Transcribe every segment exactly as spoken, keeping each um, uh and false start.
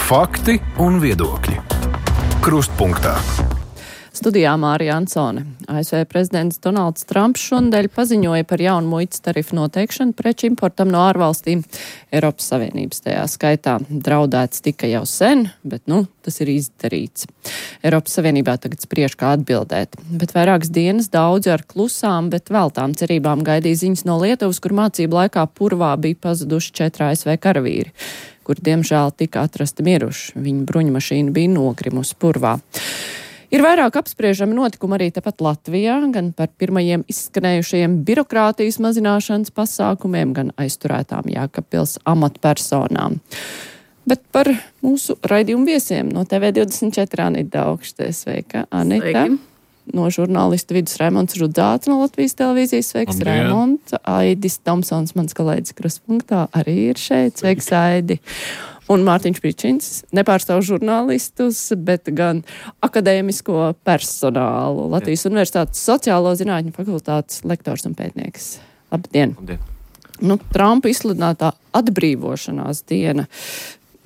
Fakti un viedokļi. Krustpunktā. Studijā Mārija Ansone. A S V prezidents Donalds Trumps šonadēļ paziņoja par jaunu muitas tarifu noteikšanu preču importam no ārvalstīm. Eiropas Savienības tajā skaitā draudēts tika jau sen, bet, nu, tas ir izdarīts. Eiropas Savienībā tagad spriež, kā atbildēt. Bet vairākas dienas daudzi ar klusām, bet veltām cerībām gaidīja ziņas no Lietuvas, kur mācību laikā purvā bija pazuduši četri A S V karavīri, kur diemžēl tika atrasti miruši. Viņa bruņmašīna bija nogrimusi purvā. Ir vairāk apspriežami notikumi arī tepat Latvijā, gan par pirmajiem izskanējušajiem birokrātijas mazināšanas pasākumiem, gan aizturētām Jēkabpils amatpersonām. Bet par mūsu raidījumu viesiem no T V divdesmit četri Anita Daugšte. Sveika, Anita. Sveiki. No žurnālista vidus Raimonds Rudzāts no Latvijas televīzijas. Sveiks, Raimonds. Aidis Tomsons, mans kolēģis Krustpunktā, arī ir šeit. Sveiks, Aidi. Un Mārtiņš Pričins nepārstāv žurnālistus, bet gan akadēmisko personālu. Latvijas Jā. Universitātes sociālo zinātņu fakultātes lektors un pētnieks. Labdien! Labdien. Nu, Trumpa izsludinātā atbrīvošanās diena,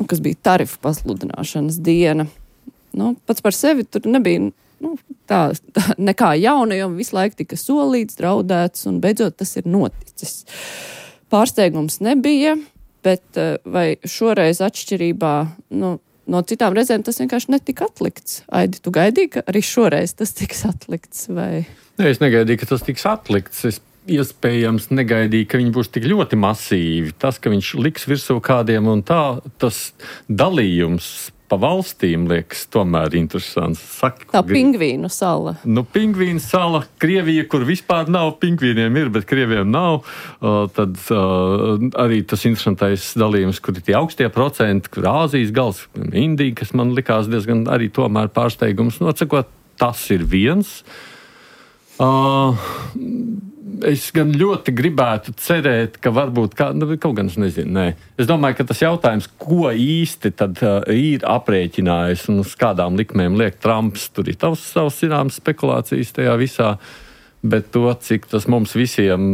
nu, kas bija tarifu pasludināšanas diena, nu, pats par sevi tur nebija nu, tā, tā nekā jauna, jo visu laiku tika solīts, draudēts, un beidzot tas ir noticis. Pārsteigums nebija. Bet vai šoreiz atšķirībā nu, no citām reizēm tas vienkārši netika atlikts? Aidi, tu gaidīji, ka arī šoreiz tas tiks atlikts? Vai? Nē, es negaidīju, ka tas tiks atlikts. Es iespējams negaidīju, ka viņi būs tik ļoti masīvi. Tas, ka viņš liks virsū kādiem un tā, tas dalījums pa valstīm liekas tomēr interesants. Saka, tā pingvīnu sala. Nu, pingvīnu sala, Krievija, kur vispār nav, pingvīniem ir, bet Krieviem nav. Uh, tad uh, arī tas interesantais dalījums, kur ir tie augstie procenti, kur Āzijas gals, Indija, kas man likās diezgan arī tomēr pārsteigums. Nocekot, tas ir viens. Uh, Es gan ļoti gribētu cerēt, ka varbūt kā, nu, kaut gan es nezinu. Nē. Es domāju, ka tas jautājums, ko īsti tad uh, ir aprēķinājis un uz kādām likmēm liek Trumps, tur ir tavs savs zināms spekulācijas tajā visā, bet to, cik tas mums visiem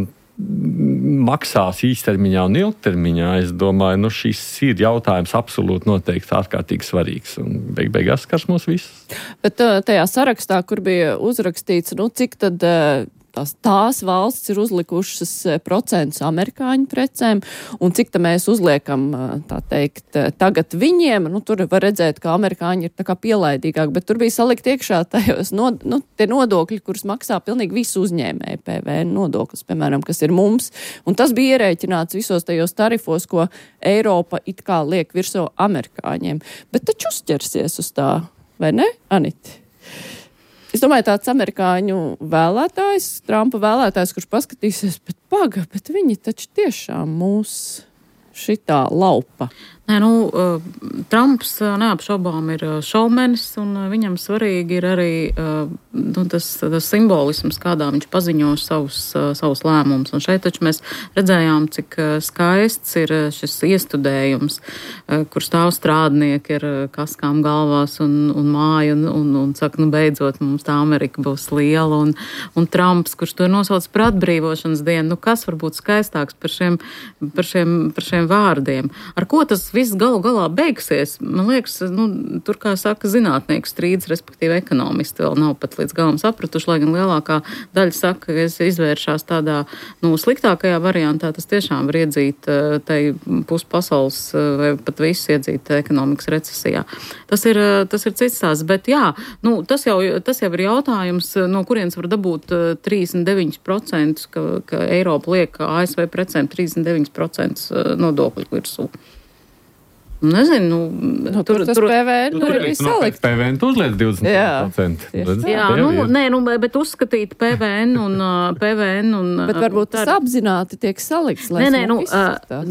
maksās īstermiņā un ilgtermiņā, es domāju, nu šis ir jautājums absolūti noteikti ārkārtīgi svarīgs un beig beigās skars mūs visus. Bet tajā sarakstā, kur bija uzrakstīts, nu cik tad tās, tās valsts ir uzlikušas procentus amerikāņu precēm, un cik tā mēs uzliekam, tā teikt, tagad viņiem, nu, tur var redzēt, ka amerikāņi ir tā kā pielaidīgāk, bet tur bija salikt iekšā tajos nod, nu, tie nodokļi, kurus maksā pilnīgi visu uzņēmēju, P V N nodoklis, piemēram, kas ir mums, un tas bija ierēķināts visos tajos tarifos, ko Eiropa it kā liek virsū amerikāņiem, bet taču uzķersies uz tā, vai ne, Aniti? Es domāju, tāds amerikāņu vēlētājs, Trumpa vēlētājs, kurš paskatīsies, bet paga, bet viņi taču tiešām mūs šitā laupa. Nē, nu, uh, Trumps uh, neapšaubām ir uh, šaumenis, un uh, viņam svarīgi ir arī uh, nu, tas, tas simbolisms, kādā viņš paziņo savus, uh, savus lēmumus. Un šeit taču mēs redzējām, cik uh, skaists ir uh, šis iestudējums, uh, kur stāv strādnieki ar uh, kaskām galvās un, un māju, un, un, un saka, nu, beidzot, mums tā Amerika būs liela, un, un Trumps, kurš to ir nosauc par atbrīvošanas dienu, nu, kas var būt skaistāks par šiem, par šiem, par šiem vārdiem? Ar ko tas viss galu galā beigsies? Man liekas, nu, tur, kā saka, zinātnieku strīds, respektīvi ekonomisti vēl nav pat līdz galam sapratuši, lai gan lielākā daļa saka, ka es izvēršās tādā, nu, sliktākajā variantā, tas tiešām var iedzīt tai pus pasaules vai pat visu iedzīt ekonomikas recesijā. Tas ir, tas ir cits tās, bet jā, nu, tas jau, tas jau ir jautājums, no kurienes var dabūt trīsdesmit deviņi procenti, ka, ka Eiropa liek A S V precēm trīsdesmit deviņi procenti nodokļu virsū. Nezinu, nu, nu, tur, tur tas P V N tur ir salikt. P V N tu uzliec divdesmit procenti. Jā, jā nu, nē, nu, bet uzskatīt P V N un P V N un... Bet varbūt tas apzināti tiek salikts, lai nē, nē, nu,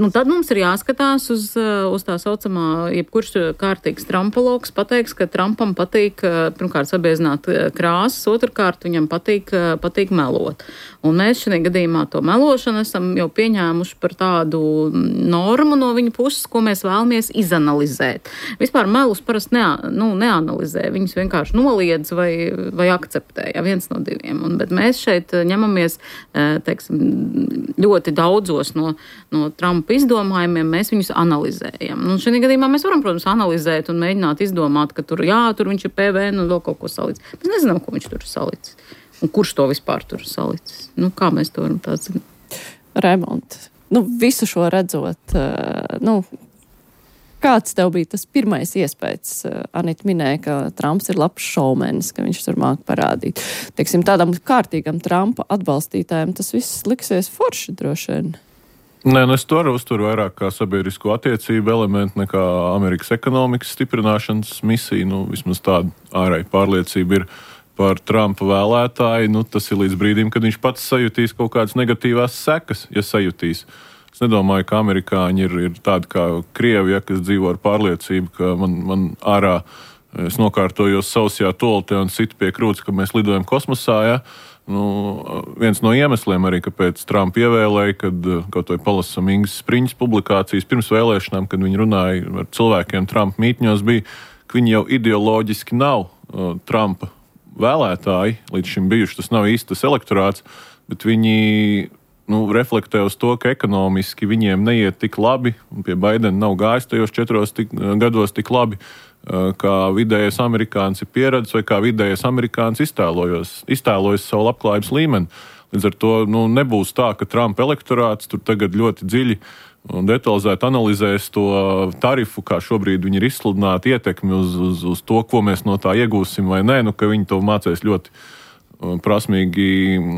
nu, tad mums ir jāskatās uz, uz tā saucamā, jebkurš kārtīgs trampologs pateiks, ka Trumpam patīk, pirmkārt, sabiezināt krāsas, otrkārt, viņam patīk, patīk melot. Un mēs šajā gadījumā to melošanu esam jau pieņēmuši par tādu normu no viņa puses, ko mēs vēlamies izanalizēt. Vispār melus parasti ne, nu, neanalizē, viņus vienkārši noliedz vai, vai akceptē, ja viens no diviem. Un, bet mēs šeit ņemamies, teiksim, ļoti daudzos no, no Trumpa izdomājumiem, mēs viņus analizējam. Un šajā gadījumā mēs varam, protams, analizēt un mēģināt izdomāt, ka tur, jā, tur viņš ir P V N un vēl kaut ko salicis. Mēs nezinām, ko viņš tur ir salicis. Un kurš to vispār tur ir salicis? Nu, kā mēs to varam tā zināt? Raimond, nu, visu šo redzot, nu, kāds tev bija tas pirmais iespējas? Anita minēja, ka Trumps ir labs šoumenis, ka viņš tur māk parādīt. Teiksim, tādam kārtīgam Trumpa atbalstītājiem tas viss liksies forši droši vien. Nē, nu es to arī uzturu vairāk kā sabiedrisko attiecību elementu nekā Amerikas ekonomikas stiprināšanas misiju. Nu, vismaz tāda ārēja pārliecība ir par Trumpa vēlētāju. Nu, tas ir līdz brīdim, kad viņš pats sajutīs kaut kādas negatīvās sekas, ja sajutīs. Es nedomāju, ka amerikāņi ir, ir tādi kā Krievi, ja, kas dzīvo ar pārliecību, ka man, man ārā es nokārtojos sausajā toaletē un situ pie krūts, ka mēs lidojam kosmosā. Ja. Nu, viens no iemesliem arī, kāpēc Trumpa ievēlēja, kad kaut vai palasam Ingas Spriņas publikācijas pirms vēlēšanām, kad viņi runāja ar cilvēkiem Trumpa mītņos, bija, ka viņi jau ideoloģiski nav uh, Trumpa vēlētāji, līdz šim bijuši, tas nav īsti tas elektorāts, bet viņi nu, reflektē uz to, ka ekonomiski viņiem neiet tik labi, un pie Baidena nav gājis tajos četros tik, gados tik labi, kā vidējais amerikāns ir pieredzis, vai kā vidējais amerikāns iztēlojas, iztēlojas savu labklājības līmeni. Līdz ar to nu, nebūs tā, ka Trumpa elektorāts tur tagad ļoti dziļi un detalizēti analizēs to tarifu, kā šobrīd viņi ir izsludināti, ietekmi uz, uz, uz to, ko mēs no tā iegūsim vai nē, nu, ka viņi to mācēs ļoti prasmīgi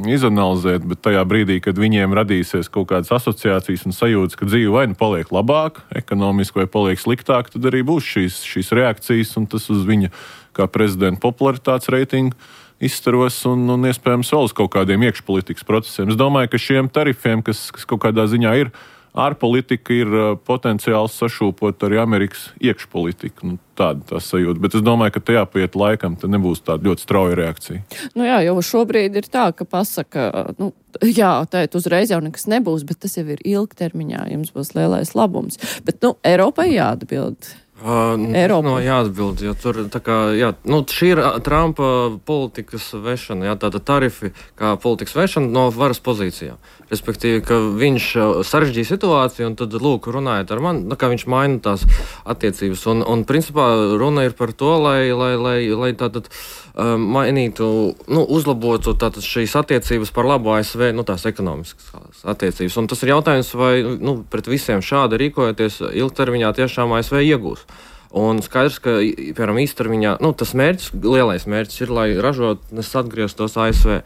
izanalizēt, bet tajā brīdī, kad viņiem radīsies kaut kādas asociācijas un sajūtas, ka dzīve vai nu paliek labāk, ekonomiski vai paliek sliktāk, tad arī būs šīs, šīs reakcijas, un tas uz viņa kā prezidenta popularitātes reitingu izstaros un, un iespējams vēl uz kaut kādiem iekšpolitikas procesiem. Es domāju, ka šiem tarifiem, kas, kas kaut kādā ziņā ir ārpolitika, ir potenciāls sašūpot arī Amerikas iekšpolitiku. Nu, tāda tā sajūta. Bet es domāju, ka tajā paiet laikam, tad nebūs tāda ļoti strauja reakcija. Nu jā, jau šobrīd ir tā, ka pasaka, nu, jā, tēt uzreiz jau nekas nebūs, bet tas jau ir ilgtermiņā, jums būs lielais labums. Bet, nu, Eiropai jāatbild. Uh, no, jāatbild, jo tur tā kā, jā, nu, šī ir Trumpa politikas vešana, jā, tāda tarifi kā politikas vešana no varas pozīcijām. Respektīvi, ka viņš sarežģīja situāciju un tad, lūk, runājot ar mani, kā viņš maina tās attiecības. Un, un principā, runa ir par to, lai, lai, lai, lai tātad um, mainītu, nu, uzlabotu tātad šīs attiecības par labu A S V, nu, tās ekonomiskas attiecības. Un tas ir jautājums, vai, nu, pret visiem šādi rīkojoties ilgtermiņā tiešām A S V iegūs. Un skaidrs, ka, piemēram, īstermiņā, nu, tas mērķis, lielais mērķis ir, lai ražotnes atgrieztos A S V.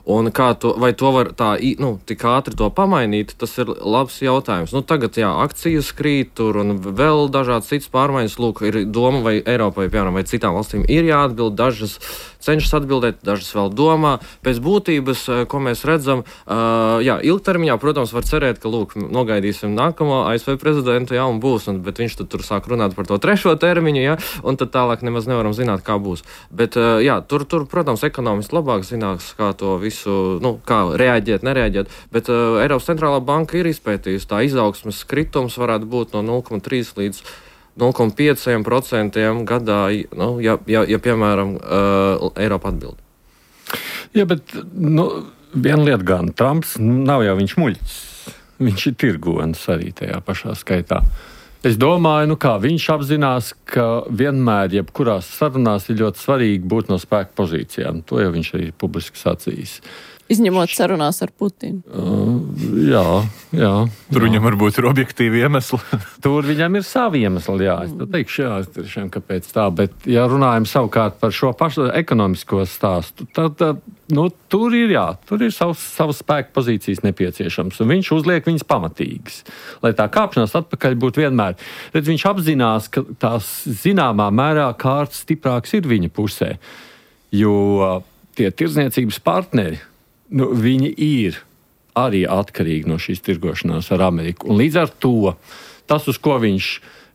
Un kā to, vai to var tā, nu, tik ātri to pamainīt, tas ir labs jautājums. Nu, tagad, jā, akcijas krīt tur un vēl dažādas citas pārmaiņas. Lūk, ir doma, vai Eiropai, piemēram, vai citām valstīm ir jāatbild, dažas cenšas atbildēt, dažas vēl domā. Pēc būtības, ko mēs redzam, uh, jā, ilgtermiņā, protams, var cerēt, ka, lūk, nogaidīsim nākamo A S V prezidentu, jā, un būs, un, bet viņš tad tur sāk runāt par to trešo termiņu, jā, un tad tālāk nemaz nevaram zināt, kā būs. Bet, uh, jā, tur, tur, protams, ekonomisti labāk zinās, kā to visu, nu, kā reaģēt, nereaģēt, bet uh, Eiropas centrālā banka ir izpētījusi, tā izaugsmes kritums varētu būt no nulle komats trīs līdz nulle komats pieci procenti gadā, nu, ja, ja, ja piemēram, uh, Eiropa atbild. Jā, bet, nu, viena lieta gan, Trumps nav jau viņš muļķis, viņš ir tirgonis arī tajā pašā skaitā. Es domāju, nu kā, viņš apzinās, ka vienmēr, jebkurās sarunās ir ļoti svarīgi būt no spēka pozīcijām. To jau viņš arī publiski sacījis. Izņemot sarunās ar Putinu. Uh, jā, jā. Tur jā. Viņam varbūt ir objektīvi iemesli. Tur viņam ir savi iemesli, jā. Es teikšu, jā, tiešām, kāpēc tā. Bet, ja runājam savukārt par šo pašu ekonomisko stāstu, tad, tad nu, tur ir, jā, tur ir savs, savas spēka pozīcijas nepieciešams. Un viņš uzliek viņas pamatīgas. Lai tā kāpšanās atpakaļ būtu vienmēr. Tad viņš apzinās, ka tās zināmā mērā kārtas stiprāks ir viņa pusē. Jo tie tirdzniecības partneri, nu, viņi ir arī atkarīgi no šīs tirgošanās ar Ameriku. Un līdz ar to, tas, uz ko viņš,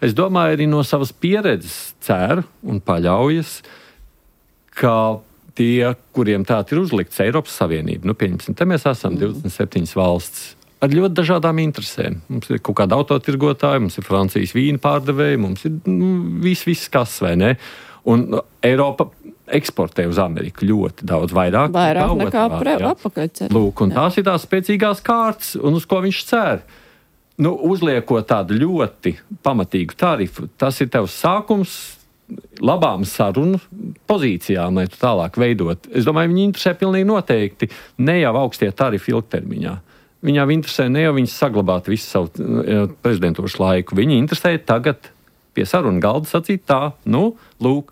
es domāju, arī no savas pieredzes cer un paļaujas, ka tie, kuriem tā ir uzlikts Eiropas Savienība, nu, pieņemsim, te mēs esam divdesmit septiņas valsts, ar ļoti dažādām interesēm. Mums ir kaut kāda autotirgotāja, mums ir Francijas vīna pārdevēja, mums ir nu, viss, viss kas, vai ne? Un Eiropa eksportē uz Ameriku ļoti daudz vairāk. Vairāk nekā apakaļceļ. Lūk, un tās ir tās spēcīgās kārtas, un uz ko viņš cer. Nu, uzliekot tādu ļoti pamatīgu tarifu, tas ir tevs sākums labām sarunu pozīcijām, lai tu tālāk veidot. Es domāju, viņi interesē pilnīgi noteikti ne jau augstie tarifi ilgtermiņā. Viņām interesē ne jau viņas saglabāt visu savu prezidentūras laiku. Viņi interesē tagad pie sarunu galda sacīt tā, nu, lūk,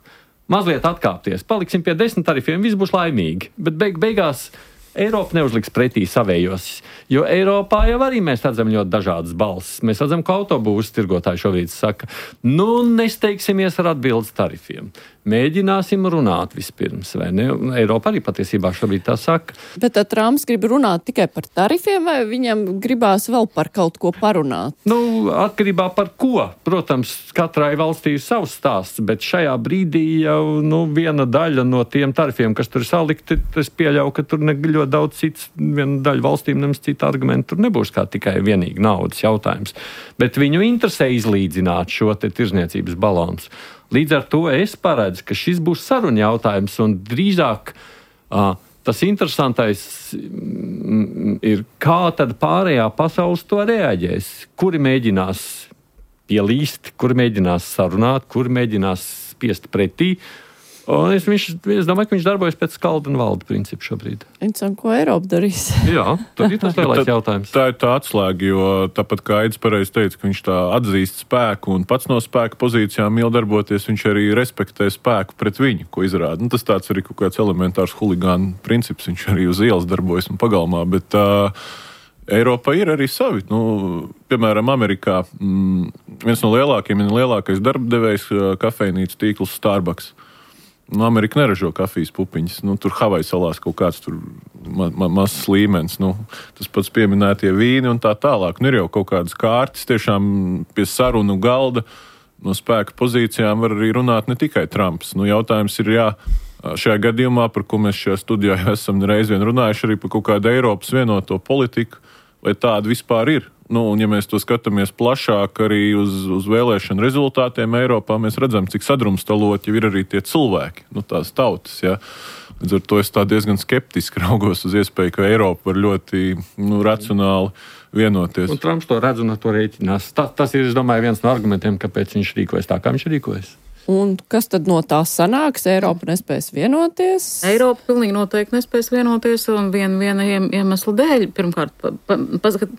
mazliet atkāpties. Paliksim pie desmit tarifiem, viss būs laimīgi. Bet beig beigās Eiropa neuzliks pretī savējos, jo Eiropā jau arī mēs redzam ļoti dažādas balsis. Mēs redzam, ka autobūvas tirgotāji šobrīd saka, nu, nesteigsimies ar atbildes tarifiem. Mēģināsim runāt vispirms, vai ne? Eiropa arī patiesībā šobrīd tā saka. Bet tad Trumps grib runāt tikai par tarifiem, vai viņam gribās vēl par kaut ko parunāt? Nu, atkarībā par ko. Protams, katrai valstī ir savs stāsts, bet šajā brīdī jau nu, viena daļa no tiem tarifiem, kas tur salikti, es pieļauju, ka tur ne ļoti daudz cits, viena daļa valstīm nemaz cita argumenta tur nebūs kā tikai vienīgi naudas jautājums. Bet viņu interesē izlīdzināt šo te tirzniecības balansu. Līdz ar to es paredzu, ka šis būs saruna jautājums, un drīzāk uh, tas interesantais mm, ir, kā tad pārējā pasaules to reaģēs. Kuri mēģinās pielīst, kuri mēģinās sarunāt, kuri mēģinās spiest pretī. Un es, viņš, es domāju, ka viņš darbojas pēc skalda un valda principu šobrīd. Un ko Eiropa darīs? Jā, tad ir tas lielais jautājums. Tā ir tā atslēga, jo tāpat kā Aidis pareizi teica, ka viņš tā atzīst spēku un pats no spēka pozīcijām mīl darboties, viņš arī respektē spēku pret viņu, ko izrāda. Nu, tas tāds arī kaut kāds elementārs huligānu princips, viņš arī uz ielas darbojas un pagalmā, bet uh, Eiropa ir arī savi. Nu, piemēram, Amerikā mm, viens no lielākiem un lielākais darbdevējs kafejnīcu tīkls Starbucks. Nu, Amerika neražo kafijas pupiņas. Nu, tur Havaju salās kaut kāds tur ma ma mazs līmenis. Nu, tas pats pieminētie vīni un tā tālāk. Nu, ir jau kaut kādas kārtas tiešām pie sarunu galda no spēka pozīcijām var arī runāt ne tikai Trumps. Nu, jautājums ir, jā, šajā gadījumā, par ko mēs šajā studijā esam reiz vien runājuši, arī par kaut kādu Eiropas vienoto politiku, vai tāda vispār ir. Nu, un ja mēs to skatāmies plašāk arī uz, uz vēlēšanu rezultātiem Eiropā, mēs redzam, cik sadrumstalot jau ir arī tie cilvēki, nu, tās tautas. Ja. Līdz ar to es tā diezgan skeptiski raugos uz iespēju, ka Eiropa var ļoti nu, racionāli vienoties. Un Trumps to redz un ar to rēķinās. Ta, tas ir, es domāju, viens no argumentiem, kāpēc viņš rīkojas tā, kā viņš rīkojas. Un kas tad no tā sanāks? Eiropa nespēs vienoties? Eiropa pilnīgi noteikti nespēs vienoties un vien, viena iemesla dēļ. Pirmkārt, pa, pa, paskat,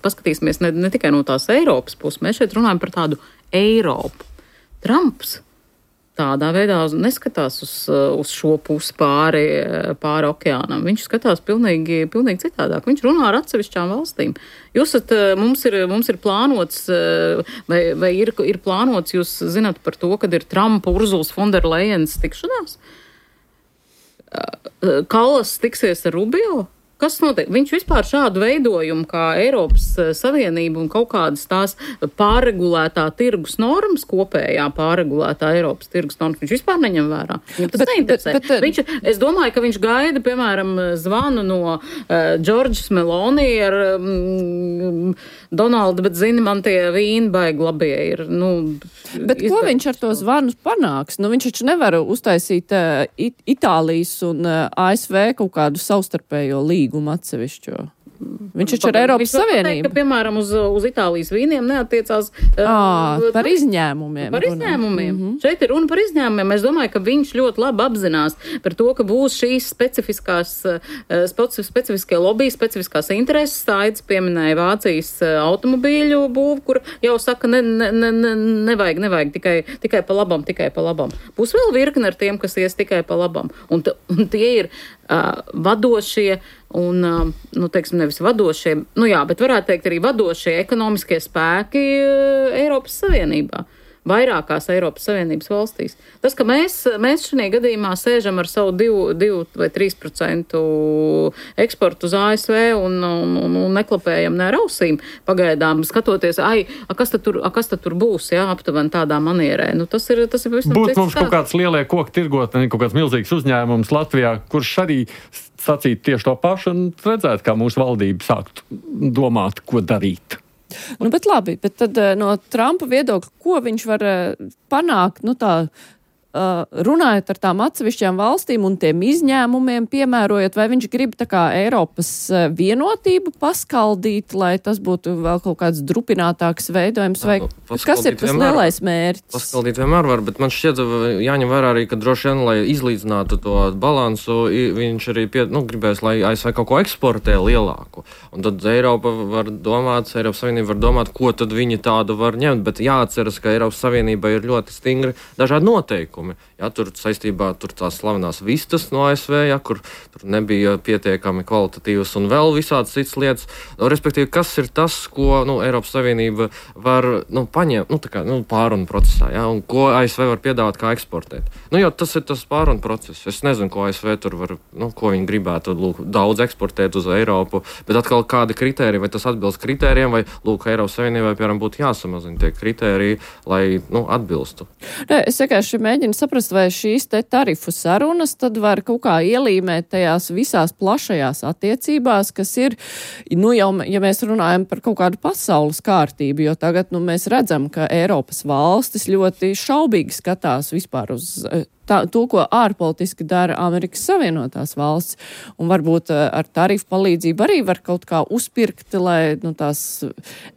paskatīsimies ne, ne tikai no tās Eiropas puses. Mēs šeit runājam par tādu Eiropu. Trumps tādā veidā neskatās uz, uz šo pusi pāri, pāri okeānam. Viņš skatās pilnīgi, pilnīgi citādāk. Viņš runā ar atsevišķām valstīm. Jūs esat, mums ir, mums ir plānots, vai, vai ir, ir plānots, jūs zināt par to, kad ir Trumpa, Urzulas Fonderlejens tikšanās? Kallas tiksies ar Rubio? Kas notiek? Viņš vispār šādu veidojumu kā Eiropas Savienība un kaut kādas tās pārregulētā tirgus normas, kopējā pārregulētā Eiropas tirgus normas, viņš vispār neņem vērā. Viņam tas bet, neinteresē. Bet, bet, viņš, es domāju, ka viņš gaida, piemēram, zvanu no Džordžas uh, Meloni ar um, Donaldu, bet zini, man tie vīni baigi labie ir. Nu, bet ko viņš ar to zvanu panāks? Nu, viņš taču nevar uztaisīt uh, It Itālijas un uh, A S V kaut kādu savstarpējo līgumu. Atsevišķo. Viņš taču ar Eiropas Savienību. Pateikt, ka, piemēram, uz, uz Itālijas vīniem neattiecās à, uh, par izņēmumiem. Par izņēmumiem. Mm -hmm. Šeit ir runa par izņēmumiem. Es domāju, ka viņš ļoti labi apzinās par to, ka būs šīs specifiskās, specifiskie lobby, specifiskās intereses. Aidis pieminēja Vācijas automobīļu būvu, kur jau saka, ne, ne, ne, nevajag, nevajag tikai, tikai pa labam, tikai pa labam. Būs vēl virkne ar tiem, kas ies tikai pa labam. Un, t, un tie ir uh, vadošie un, uh, nu, teiksim, nevis vadošie, nu jā, bet varētu teikt arī vadošie ekonomiskie spēki Eiropas Savienībā, vairākās Eiropas Savienības valstīs. Tas, ka mēs, mēs šajā gadījumā sēžam ar savu divu vai trīs procentu eksportu uz A S V un, un, un, un neklapējam ne ar ausīm pagaidām, skatoties, ai, a, kas tad tur, a, kas tad tur būs, jā, aptuveni tādā manierē. Nu, tas ir, tas ir pavisam Būtu mums kaut kāds lielie koku tirgotni, kaut kāds milzīgs uzņēmums Latvijā, kurš arī sacītu tieši to pašu un redzētu, kā mūsu valdība sāktu domāt, ko darīt. Nu, bet labi, bet tad no Trumpa viedokļa, ko viņš var panākt, nu tā, Uh, runājot ar tām atsevišķām valstīm un tiem izņēmumiem, piemērojot, vai viņš grib tā kā Eiropas vienotību paskaldīt, lai tas būtu vēl kaut kāds drupinātāks veidojums, vai Jā, kas ir tas vienmēr, lielais mērķis? Paskaldīt vienmēr var, bet man šķiet, jāņem vērā arī, ka droši vien, lai izlīdzinātu to balansu, viņš arī pie, nu, gribēs, lai A S V kaut ko eksportē lielāku. Un tad Eiropa var domāt, Eiropas Savienība var domāt, ko tad viņi tādu var ņemt, bet jāatceras, ka Eiropas Savienība ir ļoti stingri dažādi noteikumi. Ja, tur saistībā tur tās slavenās vistas no A S V, ja, kur tur nebija pietiekami kvalitatīvas un vēl visādas citas lietas. Nu, respektīvi, kas ir tas, ko nu, Eiropas Savienība var nu, paņemt nu, tā kā, nu, pārunu procesā, ja, un ko A S V var piedāvāt kā eksportēt. Nu, jo tas ir tas pārunu process. Es nezinu, ko A S V tur var, nu, ko viņi gribētu lūk, daudz eksportēt uz Eiropu, bet atkal kādi kritēriji, vai tas atbilst kritērijiem, vai lūk, Eiropas Savienībai, piemēram, būtu jāsamazina tie kritēriji, lai nu, atbilstu. Ne, es vienkārši mēģinu saprast, vai šīs te tarifu sarunas tad var kaut kā ielīmēt tajās visās plašajās attiecībās, kas ir, nu jau, ja mēs runājam par kaut kādu pasaules kārtību, jo tagad, nu, mēs redzam, ka Eiropas valstis ļoti šaubīgi skatās vispār uz tā, to, ko ārpolitiski dara Amerikas Savienotās valsts, un varbūt ar tarifu palīdzību arī var kaut kā uzpirkt, lai, nu, tās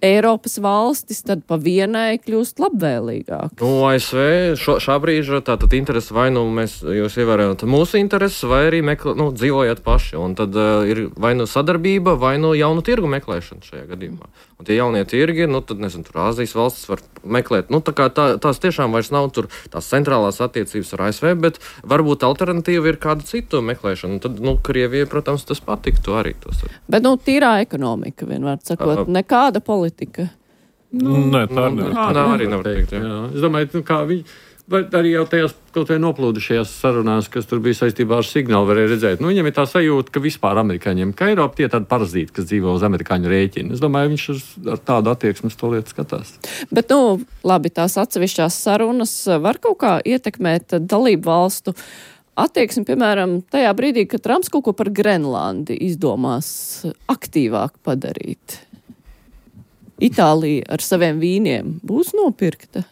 Eiropas valstis tad pa vienai kļūst labvēlīgāk. Nu, A S V šo, šā brīža tātad interesi vai nu mēs, jūs ievērējat mūsu intereses, vai arī meklē, nu, dzīvojat paši, un tad uh, ir vai nu sadarbība, vai nu jaunu tirgu meklēšana šajā gadījumā. Un tie jaunie tirgi, nu, tad, nezinu, tur Āzijas valstis var meklēt, nu, tā kā tā, tās tiešām vairs nav tur tās centrālās attiecības ar A S V, bet varbūt alternatīva ir kāda citu meklēšana. Un tad, nu, Krievijai, protams, tas patiktu arī. Tos. Bet, nu, tīrā ekonomika, vienmēr sakot, uh, nekāda politika. Nu, nē, tā nevar. Tā, tā arī nevar teikt, jā. Jā. Es domāju, nu, kā viņi, vai arī jau tajās kaut vai noplūdušajās sarunās, kas tur bija saistībā ar signālu, varēja redzēt. Nu, viņam ir tā sajūta, ka vispār amerikāņiem, ka Eiropa tie tādi parazīti, kas dzīvo uz amerikāņu rēķina. Es domāju, viņš ar tādu attieksmi to lietu skatās. Bet, nu, labi, tās atsevišķās sarunas var kaut kā ietekmēt dalību valstu attieksmi, piemēram, tajā brīdī, kad Trumps kaut ko par Grenlandi izdomās aktīvāk padarīt. Itālija ar saviem vīniem būs nopirkta?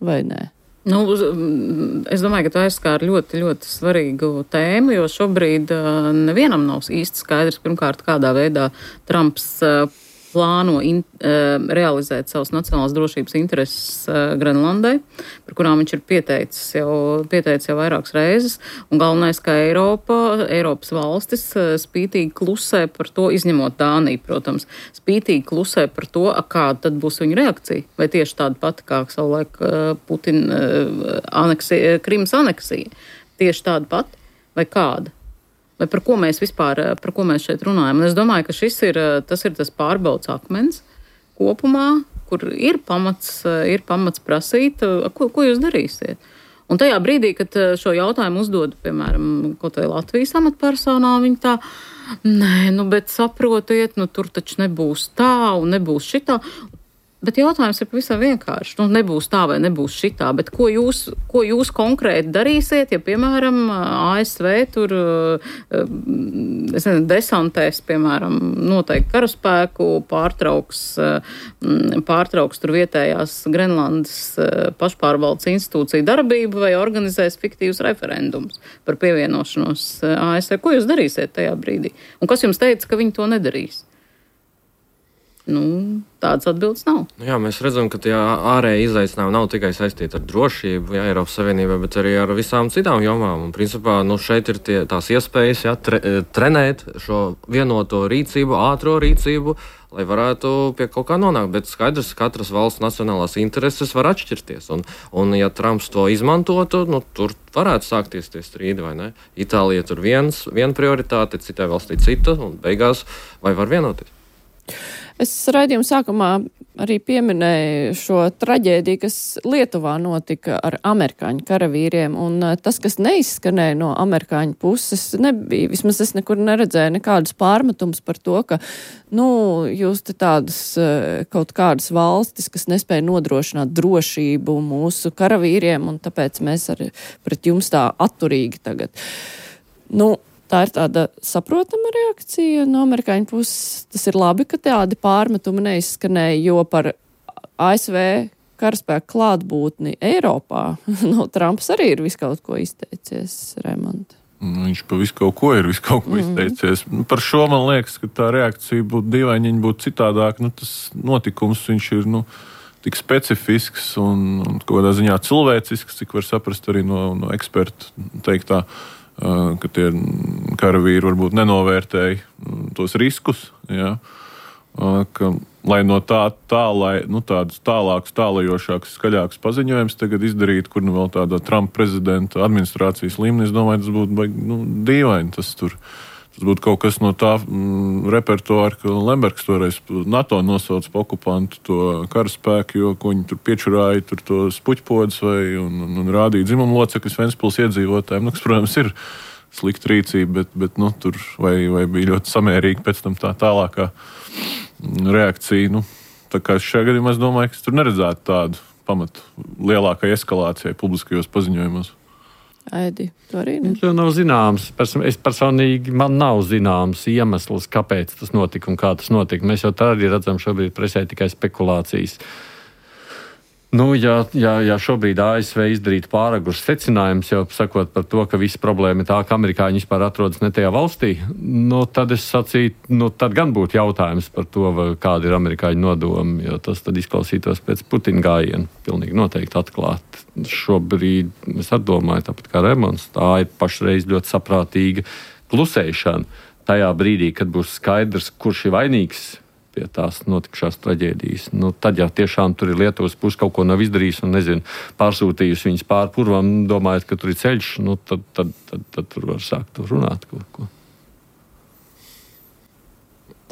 Vai nē? Nu, es domāju, ka tā aizskāra ļoti, ļoti svarīgu tēmu, jo šobrīd uh, nevienam nav īsti skaidrs, pirmkārt, kādā veidā Trumps uh, plāno in, uh, realizēt savas nacionālās drošības intereses uh, Grenlandai, par kurām viņš ir pieteicis jau, pieteicis jau vairākas reizes, un galvenais, ka Eiropa, Eiropas valstis uh, spītīgi klusē par to, izņemot Dāniju, protams, spītīgi klusē par to, kāda tad būs viņa reakcija, vai tieši tāda pati, kā savulaik uh, Putina uh, aneksija, Krimas aneksija, tieši tāda pati, vai kāda? Vai par ko mēs vispār, par ko mēs šeit runājam. Un es domāju, ka šis ir tas, ir tas pārbaudas akmens kopumā, kur ir pamats, ir pamats prasīt, ko, ko jūs darīsiet. Un tajā brīdī, kad šo jautājumu uzdod, piemēram, kaut vai Latvijas amatpersonā, viņi tā, nē, nu, bet saprotiet, nu, tur taču nebūs tā un nebūs šitā. Bet jautājums ir pavisam vienkārši. Nu, nebūs tā vai nebūs šitā, bet ko jūs, ko jūs konkrēti darīsiet, ja, piemēram, A S V tur es nezinu, desantēs, piemēram, noteikti karaspēku, pārtrauks, pārtrauks tur vietējās Grenlandes pašpārvaldes institūciju darbību vai organizēs fiktīvus referendumus par pievienošanos A S V. Ko jūs darīsiet tajā brīdī? Un kas jums teica, ka viņi to nedarīs? Nu, tādas atbildes nav. Jā, mēs redzam, ka tie ārēji izaicinājumi nav tikai saistīti ar drošību, jā, Eiropas Savienībā, bet arī ar visām citām jomām. Un, principā, nu, šeit ir tie, tās iespējas, jā, tre, trenēt šo vienoto rīcību, ātro rīcību, lai varētu pie kaut kā nonākt. Bet skaidrs, ka katras valsts nacionālās intereses var atšķirties. Un, un ja Trumps to izmantotu, nu, tur varētu sākties tie strīdi, vai ne? Itālija tur viens, viena prioritāte, citai valstī cita, un beigās vai var vienoties? Es raidījuma sākumā arī pieminēju šo traģēdiju, kas Lietuvā notika ar amerikāņu karavīriem, un tas, kas neizskanēja no amerikāņu puses, nebija, vismaz es nekur neredzēju nekādas pārmetums par to, ka, nu, jūs te tādas kaut kādas valstis, kas nespēja nodrošināt drošību mūsu karavīriem, un tāpēc mēs arī pret jums tā atturīgi tagad. Nu, tā ir tāda saprotama reakcija no amerikāņu puses. Tas ir labi, ka tādi pārmetumi neizskanēja, jo par A S V karaspēku klātbūtni Eiropā, no Trumps arī ir visu kaut ko izteicies, Raimond. Viņš pa visu kaut ko ir visu kaut ko izteicies. Mm. Par šo man liekas, ka tā reakcija būtu dīvaini, viņa būtu citādāk. Nu, tas notikums, viņš ir, nu, tik specifisks un, un kaut kādā ziņā cilvēcisks, cik var saprast arī no, no ekspertu teiktā, uh, ka tie karavīri varbūt nenovērtēja tos riskus, jā. Uh, ka, lai no tā, tā lai, nu, tādus tālākus, tālajošākus, skaļākus paziņojumus tagad izdarītu, kur nu vēl tādā Trumpa prezidenta administrācijas līmenī, es domāju, tas būtu baigi, nu, dīvaini. Tas, tur, tas būtu kaut kas no tā mm, repertuāra, ka Lembergs toreiz NATO nosauc pa okupantu to karaspēku, jo ko viņi tur piečurāja, tur to spuķpodus vai un, un, un rādīja dzimumu locekļus Ventspils iedzīvotājiem. Nu, kas, protams, ir slikta rīcība, bet, bet nu, tur vai, vai bija ļoti samērīgi pēc tam tā tālākā reakcija. Nu, tā kā šajā gadījumā es domāju, ka es tur neredzētu tādu pamatu lielākai eskalācijai publiskajos paziņojumos. Aidi, tu arī ne? Tas nav zināms. Es personīgi, man nav zināms iemesls, kāpēc tas notika un kā tas notika. Mēs jau tā arī redzam šobrīd presē tikai spekulācijas. Nu, ja, ja, ja šobrīd A S V izdarītu pāragurs secinājums, jau sakot par to, ka visa problēma ir tā, ka amerikāņi vispār atrodas ne tajā valstī, nu, tad es sacītu, nu, tad gan būtu jautājums par to, kāda ir amerikāņu nodomi, jo tas tad izklausītos pēc Putina gājiena pilnīgi noteikti atklāt. Šobrīd es atdomāju, tāpat kā Remons, tā ir pašreiz ļoti saprātīga klusēšana tajā brīdī, kad būs skaidrs, kurš ir vainīgs pie tās notikušās traģēdijas. Nu, tad, ja tiešām tur ir Lietuvas puse kaut ko nav izdarījis un, nezinu, pārsūtījusi viņas pāri purvam, domājot, ka tur ir ceļš, nu, tad, tad, tad, tad tur var sākt runāt kaut ko.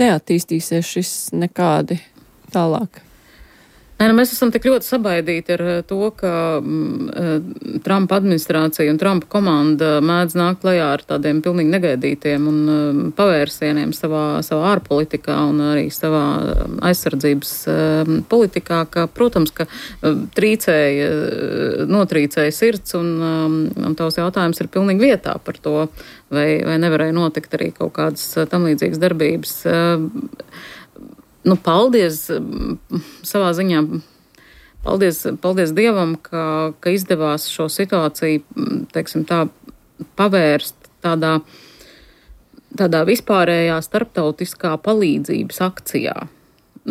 Neattīstīsies šis nekādi tālāk. Nē, nu mēs esam tik ļoti sabaidīti ar to, ka mm, Trumpa administrācija un Trumpa komanda mēdz nākt klajā ar tādiem pilnīgi negaidītiem un um, pavērsieniem savā, savā ārpolitikā un arī savā aizsardzības um, politikā, ka, protams, ka um, trīcēja, notrīcēja sirds un, um, un tavs jautājums ir pilnīgi vietā par to, vai, vai nevarēja notikt arī kaut kādas tam līdzīgas darbības. Um, Nu, paldies savā ziņā, paldies, paldies Dievam, ka, ka izdevās šo situāciju, teiksim tā, pavērst tādā, tādā vispārējā starptautiskā palīdzības akcijā,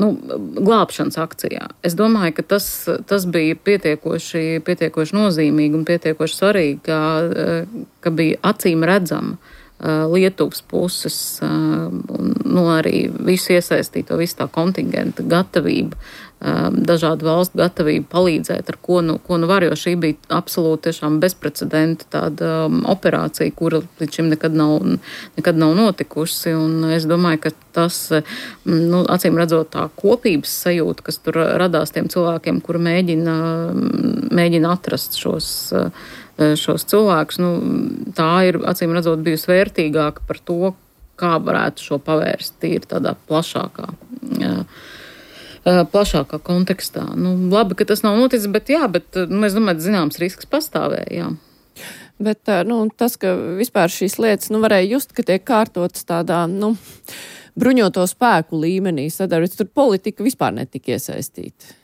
nu, glābšanas akcijā. Es domāju, ka tas, tas bija pietiekoši, pietiekoši nozīmīgi un pietiekoši svarīgi, ka, ka bija acīm redzama Lietuvas puses un, nu, arī visu iesaistīto, visu tā kontingenta gatavība, dažādu valstu gatavība palīdzēt, ar ko nu, ko nu var, jo šī bija absolūti tiešām bezprecedenta tāda operācija, kura līdz šim nekad nav, nekad nav notikusi, un es domāju, ka tas, nu, acīm redzot tā kopības sajūta, kas tur radās tiem cilvēkiem, kuri mēģina, mēģina atrast šos šos cilvēkus, nu, tā ir, acīm redzot, bijusi vērtīgāka par to, kā varētu šo pavērst tīri tādā plašākā, jā, plašākā kontekstā. Nu, labi, ka tas nav noticis, bet jā, bet, nu, es domāju, zināms risks pastāvēja, jā. Bet, nu, tas, ka vispār šīs lietas, nu, varēja just, ka tiek kārtotas tādā, nu, bruņoto spēku līmenī sadarbības, tur politika vispār netika iesaistīta.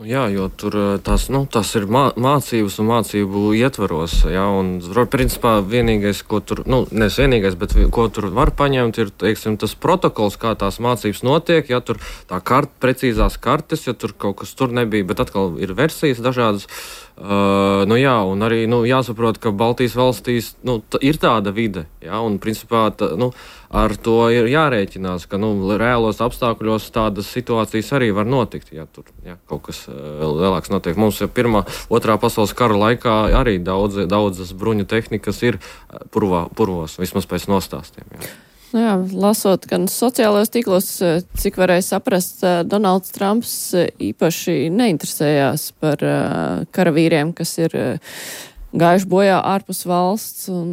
Jā, jo tur tas, nu, tas ir mā, mācības un mācību ietvaros, jā, un principā vienīgais, ko tur, nu, nes vienīgais, bet ko tur var paņemt, ir, teiksim, tas protokols, kā tās mācības notiek, ja tur tā kart, precīzās kartes, ja tur kaut kas tur nebija, bet atkal ir versijas dažādas. Uh, nu jā, un arī, nu, jāsaprot, ka Baltijas valstīs, nu, t- ir tāda vide, jā, un principā, t- nu, ar to ir jārēķinās, ka, nu, reālos apstākļos tādas situācijas arī var notikt, ja tur, jā, kaut kas vēl lielāks notiek. Mums jau pirmā, otrā pasaules kara laikā arī daudz, daudzas bruņu tehnikas ir purvā, purvos, vismaz pēc nostāstiem, jā. Nu jā, lasot gan sociālajos tīklos, cik varēja saprast, Donalds Trumps īpaši neinteresējās par karavīriem, kas ir gājuši bojā ārpus valsts un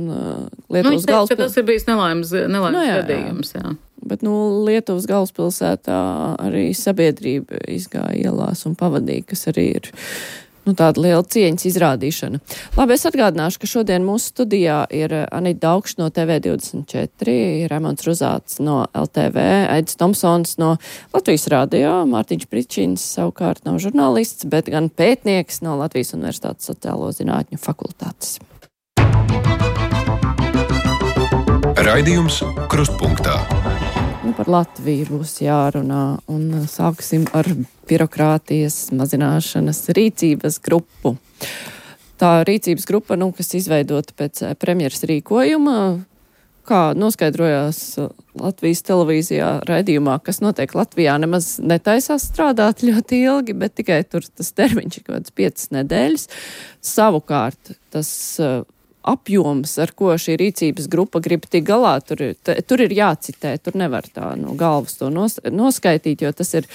Lietuvas nu, galvaspilsētā. Tas ir bijis nelaimes, nelaimes nu, jā, gadījums, jā. Bet, nu, Lietuvas galvaspilsētā arī sabiedrība izgāja ielās un pavadīja, kas arī ir Nu, tāda liela cieņas izrādīšana. Labi, es atgādināšu, ka šodien mūsu studijā ir Anita Daugšs no T V divdesmit četri, Raimonds Ruzāts no L T V, Aidis Tomsons no Latvijas radio, Mārtiņš Pričins savukārt nav žurnālists, bet gan pētnieks no Latvijas Universitātes sociālo zinātņu fakultātes. Raidījums Krustpunktā. Nu, par Latviju būs jārunā un sāksim ar birokrātijas mazināšanas rīcības grupu. Tā rīcības grupa, nu, kas izveidota pēc premjeras rīkojuma, kā noskaidrojās Latvijas televīzijā raidījumā, kas notiek Latvijā, nemaz netaisās strādāt ļoti ilgi, bet tikai tur tas termiņš ir kaut kāds piecas nedēļas. Savukārt tas apjoms, ar ko šī rīcības grupa grib tik galā, tur ir, t, tur ir jācitē, tur nevar tā no galvas to nos, noskaitīt, jo tas ir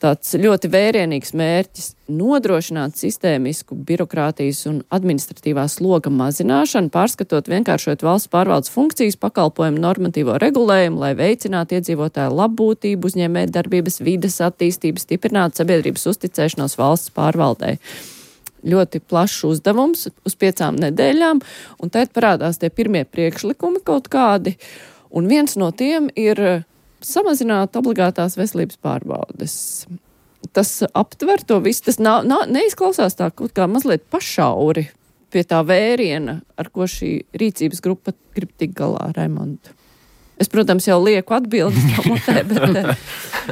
tāds ļoti vērienīgs mērķis nodrošināt sistēmisku birokrātijas un administratīvā sloga mazināšanu, pārskatot vienkāršot valsts pārvaldes funkcijas, pakalpojumu normatīvo regulējumu, lai veicinātu iedzīvotāju labbūtību, uzņēmēt darbības vides attīstību, stiprinātu sabiedrības uzticēšanos valsts pārvaldei. Ļoti plašs uzdevums uz piecām nedēļām, un tad parādās tie pirmie priekšlikumi kaut kādi, un viens no tiem ir samazināt obligātās veselības pārbaudes. Tas aptver to visu, tas nav, nav, neizklausās tā kaut kā mazliet pašauri pie tā vēriena, ar ko šī rīcības grupa grib tik galā, Raimonda. Es, protams, jau lieku atbildes pamotē, bet,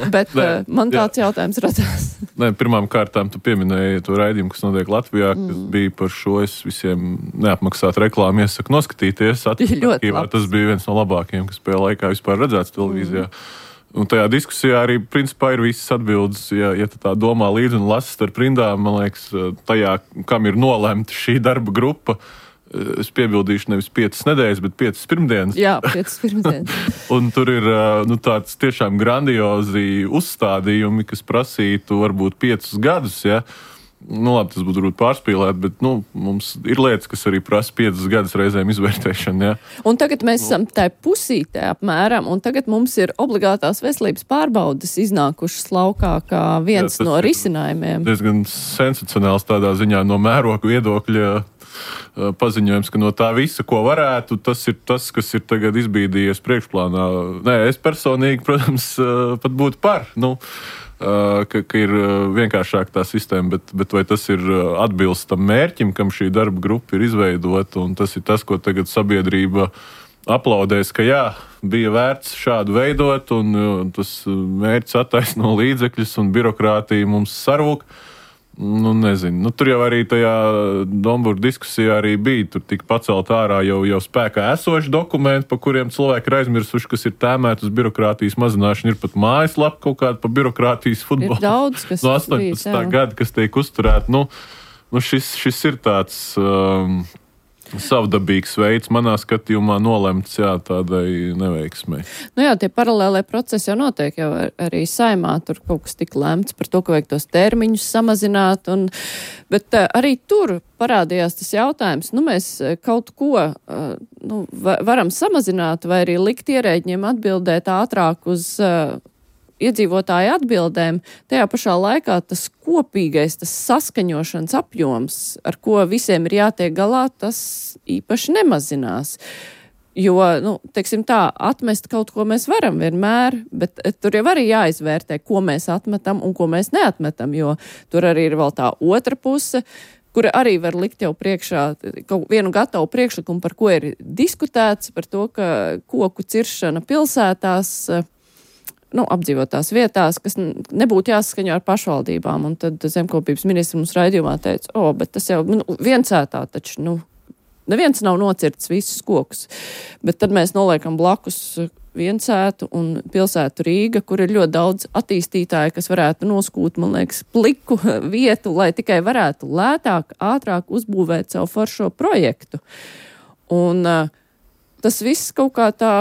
bet Nē, man tāds jā. jautājums radās. Nē, pirmām kārtām tu pieminēji to raidījumu, kas notiek Latvijā, mm. kas bija par šo, es visiem neapmaksātu reklāmu iesaku noskatīties. Attīstībā tas bija viens no labākajiem, kas pēc laikā vispār redzēts televīzijā. Mm. Un tajā diskusijā arī, principā, ir visas atbildes, ja, ja tu tā domā līdzi un lasi starp rindām, man liekas, tajā, kam ir nolemta šī darba grupa. Es piebildīšu nevis piecas nedēļas, bet piecas pirmdienas. Jā, piecas pirmdienas. Un tur ir nu, tāds tiešām grandiozi uzstādījumi, kas prasītu varbūt piecus gadus, ja. Nu, labi, tas būtu varbūt pārspīlēt, bet, nu, mums ir lietas, kas arī prasa piecas gadus reizēm izvērtēšanu, ja. Un tagad mēs esam tai pusītē apmēram, un tagad mums ir obligātās veselības pārbaudes iznākušas laukā kā viens Jā, no risinājumiem. Diezgan sensacionāls tādā ziņā no mēroga viedokļa paziņojums, ka no tā visa, ko varētu, tas ir tas, kas ir tagad izbīdījies priekšplānā. Nē, es personīgi, protams, pat būtu par, nu, ka, ka ir vienkāršāk tā sistēma, bet, bet vai tas ir atbilst tam mērķim, kam šī darba grupa ir izveidota, un tas ir tas, ko tagad sabiedrība aplaudēs, ka jā, bija vērts šādu veidot, un tas mērķis attaisno līdzekļus, un birokrātija mums sarūk. Nu, nezinu. Nu, tur jau arī tajā Dombūra diskusijā arī bija. Tur tika pacelt ārā jau, jau spēkā esoši dokumenti, pa kuriem cilvēki ir aizmirsuši, kas ir tēmēti uz birokrātijas mazināšanu. Ir pat mājaslapa kaut kāda pa birokrātijas futbolu. Ir daudz, kas no astoņpadsmitā gada, kas tiek uzturēti. Nu, nu šis, šis ir tāds um, savdabīgs veids, manā skatījumā nolemts, jā, tādai neveiksmei. Nu jā, tie paralēlē procesi jau notiek, jau ar, arī Saimā tur kaut kas tik lemts par to, ka vajag tos termiņus samazināt, un, bet uh, arī tur parādījās tas jautājums, nu mēs kaut ko uh, nu, varam samazināt vai arī likt ierēģiem atbildēt ātrāk uz uh, iedzīvotāju atbildēm, tajā pašā laikā tas kopīgais, tas saskaņošanas apjoms, ar ko visiem ir jātiek galā, tas īpaši nemazinās. Jo, nu, teiksim tā, atmest kaut ko mēs varam vienmēr, bet tur jau arī jāizvērtē, ko mēs atmetam un ko mēs neatmetam, jo tur arī ir vēl tā otra puse, kura arī var likt jau priekšā kaut vienu gatavu priekšlikumu, par ko ir diskutēts, par to, ka koku ciršana pilsētās, nu, apdzīvotās vietās, kas nebūtu jāsaskaņo ar pašvaldībām. Un tad zemkopības ministrs mums raidījumā teica, o, bet tas jau nu, viensētā taču, nu, neviens nav nocirts visus kokus. Bet tad mēs noliekam blakus viensētu un pilsētu Rīga, kur ir ļoti daudz attīstītāju, kas varētu noskūt, man liekas, pliku vietu, lai tikai varētu lētāk, ātrāk uzbūvēt savu foršo projektu. Un uh, tas viss kaut kā tā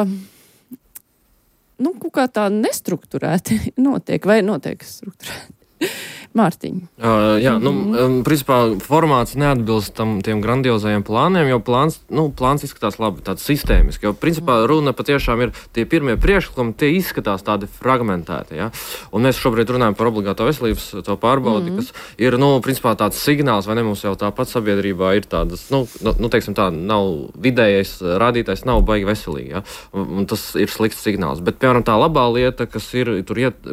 nu, kaut kā tā nestrukturēti notiek, vai notiek strukturēti. Mārtiņ. Uh, jā, nu, um, principā formāts neatbilst tam tiem grandiozajiem plāniem, jo plāns, nu, plāns izskatās labi, tāds sistēmiski, jo principā runa patiešām ir tie pirmie priekšlikumi, tie izskatās tādi fragmentēti, ja? Un mēs šobrīd runājam par obligāto veselības to pārbaudi, mm-hmm. kas ir, nu, principā tāds signāls, vai ne, mums jau tāpat sabiedrībā ir tādas, nu, nu teiksim tā, nav vidējais rādītājs, nav baigi veselīgi, ja? un, un tas ir slikts signāls. Bet, piemēram, tā labā lieta, kas ir, tur iet,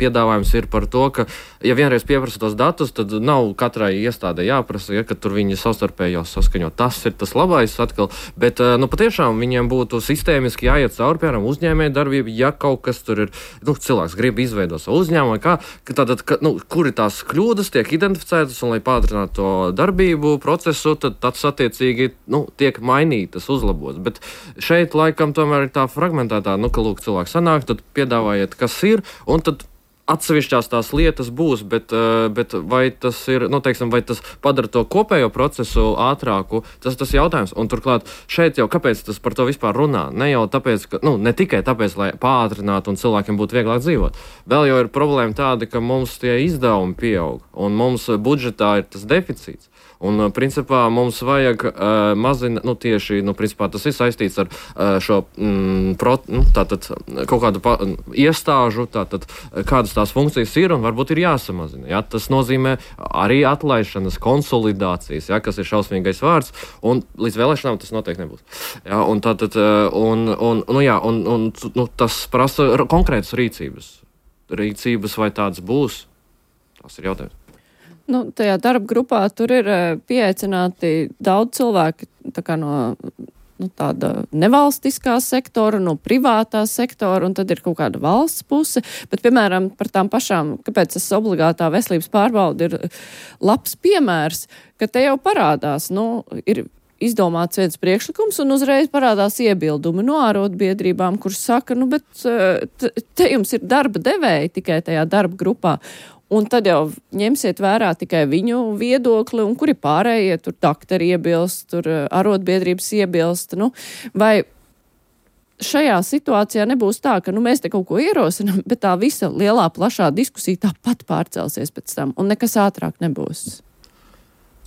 piedāvājums ir par to, ka, ja vienreiz pieprasa tos datus, tad nav katrai iestādē jāprasa, ja, ka tur viņi savstarpēji jau saskaņo. Tas ir tas labais atkal, bet, nu, patiešām viņiem būtu sistēmiski jāiet cauri, piemēram, uzņēmēja darbība, ja kaut kas tur ir, nu, cilvēks grib izveidot savu uzņēmumu, kā, ka tātad, ka, nu, kuri tās kļūdas tiek identificētas, un lai pātrinātu to darbību procesu, tad tas attiecīgi, nu, tiek mainītas, uzlabotas. Bet šeit laikam tomēr ir tā fragmentētā, nu, ka, lūk, cilvēks sanāk, tad piedāvājiet, kas ir, un tad atsevišķās tās lietas būs, bet, bet vai tas ir, nu, teiksim, vai tas padara to kopējo procesu ātrāku, tas tas jautājums. Un turklāt šeit jau kāpēc tas par to vispār runā? Ne jau tāpēc, ka, nu, ne tikai tāpēc, lai pātrinātu un cilvēkiem būtu vieglāk dzīvot. Vēl jau ir problēma tāda, ka mums tie izdevumi pieaug, un mums budžetā ir tas deficīts. Un, principā, mums vajag uh, mazināt, nu, tieši, nu, principā, tas ir saistīts ar uh, šo, mm, pro, nu, tātad, kaut kādu pa, iestāžu, tātad, kādas tās funkcijas ir un varbūt ir jāsamazina. Ja? Tas nozīmē arī atlaišanas, konsolidācijas, ja? Kas ir šausmīgais vārds, un līdz vēlēšanām tas noteikti nebūs. Ja? Un, tātad, un, un, nu, jā, un, un, nu, tas prasa konkrētas rīcības. Rīcības vai tāds būs, tas ir jautājums. Nu, tajā darba grupā tur ir pieaicināti daudz cilvēki tā kā no nu, tāda nevalstiskā sektora, no privātā sektora, un tad ir kaut kāda valsts puse. Bet, piemēram, par tām pašām, kāpēc tas obligātā veselības pārbauda ir labs piemērs, ka te jau parādās, nu, ir izdomāts viens priekšlikums, un uzreiz parādās iebildumi no ārotbiedrībām, kurš saka, nu, bet te jums ir darba devēji tikai tajā darba grupā. Un tad jau ņemsiet vērā tikai viņu viedokli, un kuri pārējie, tur daktari iebilst, tur arotbiedrības iebilst. Nu, vai šajā situācijā nebūs tā, ka nu, mēs te kaut ko ierosinām, bet tā visa lielā, plašā diskusija tāpat pārcelsies pēc tam, un nekas ātrāk nebūs?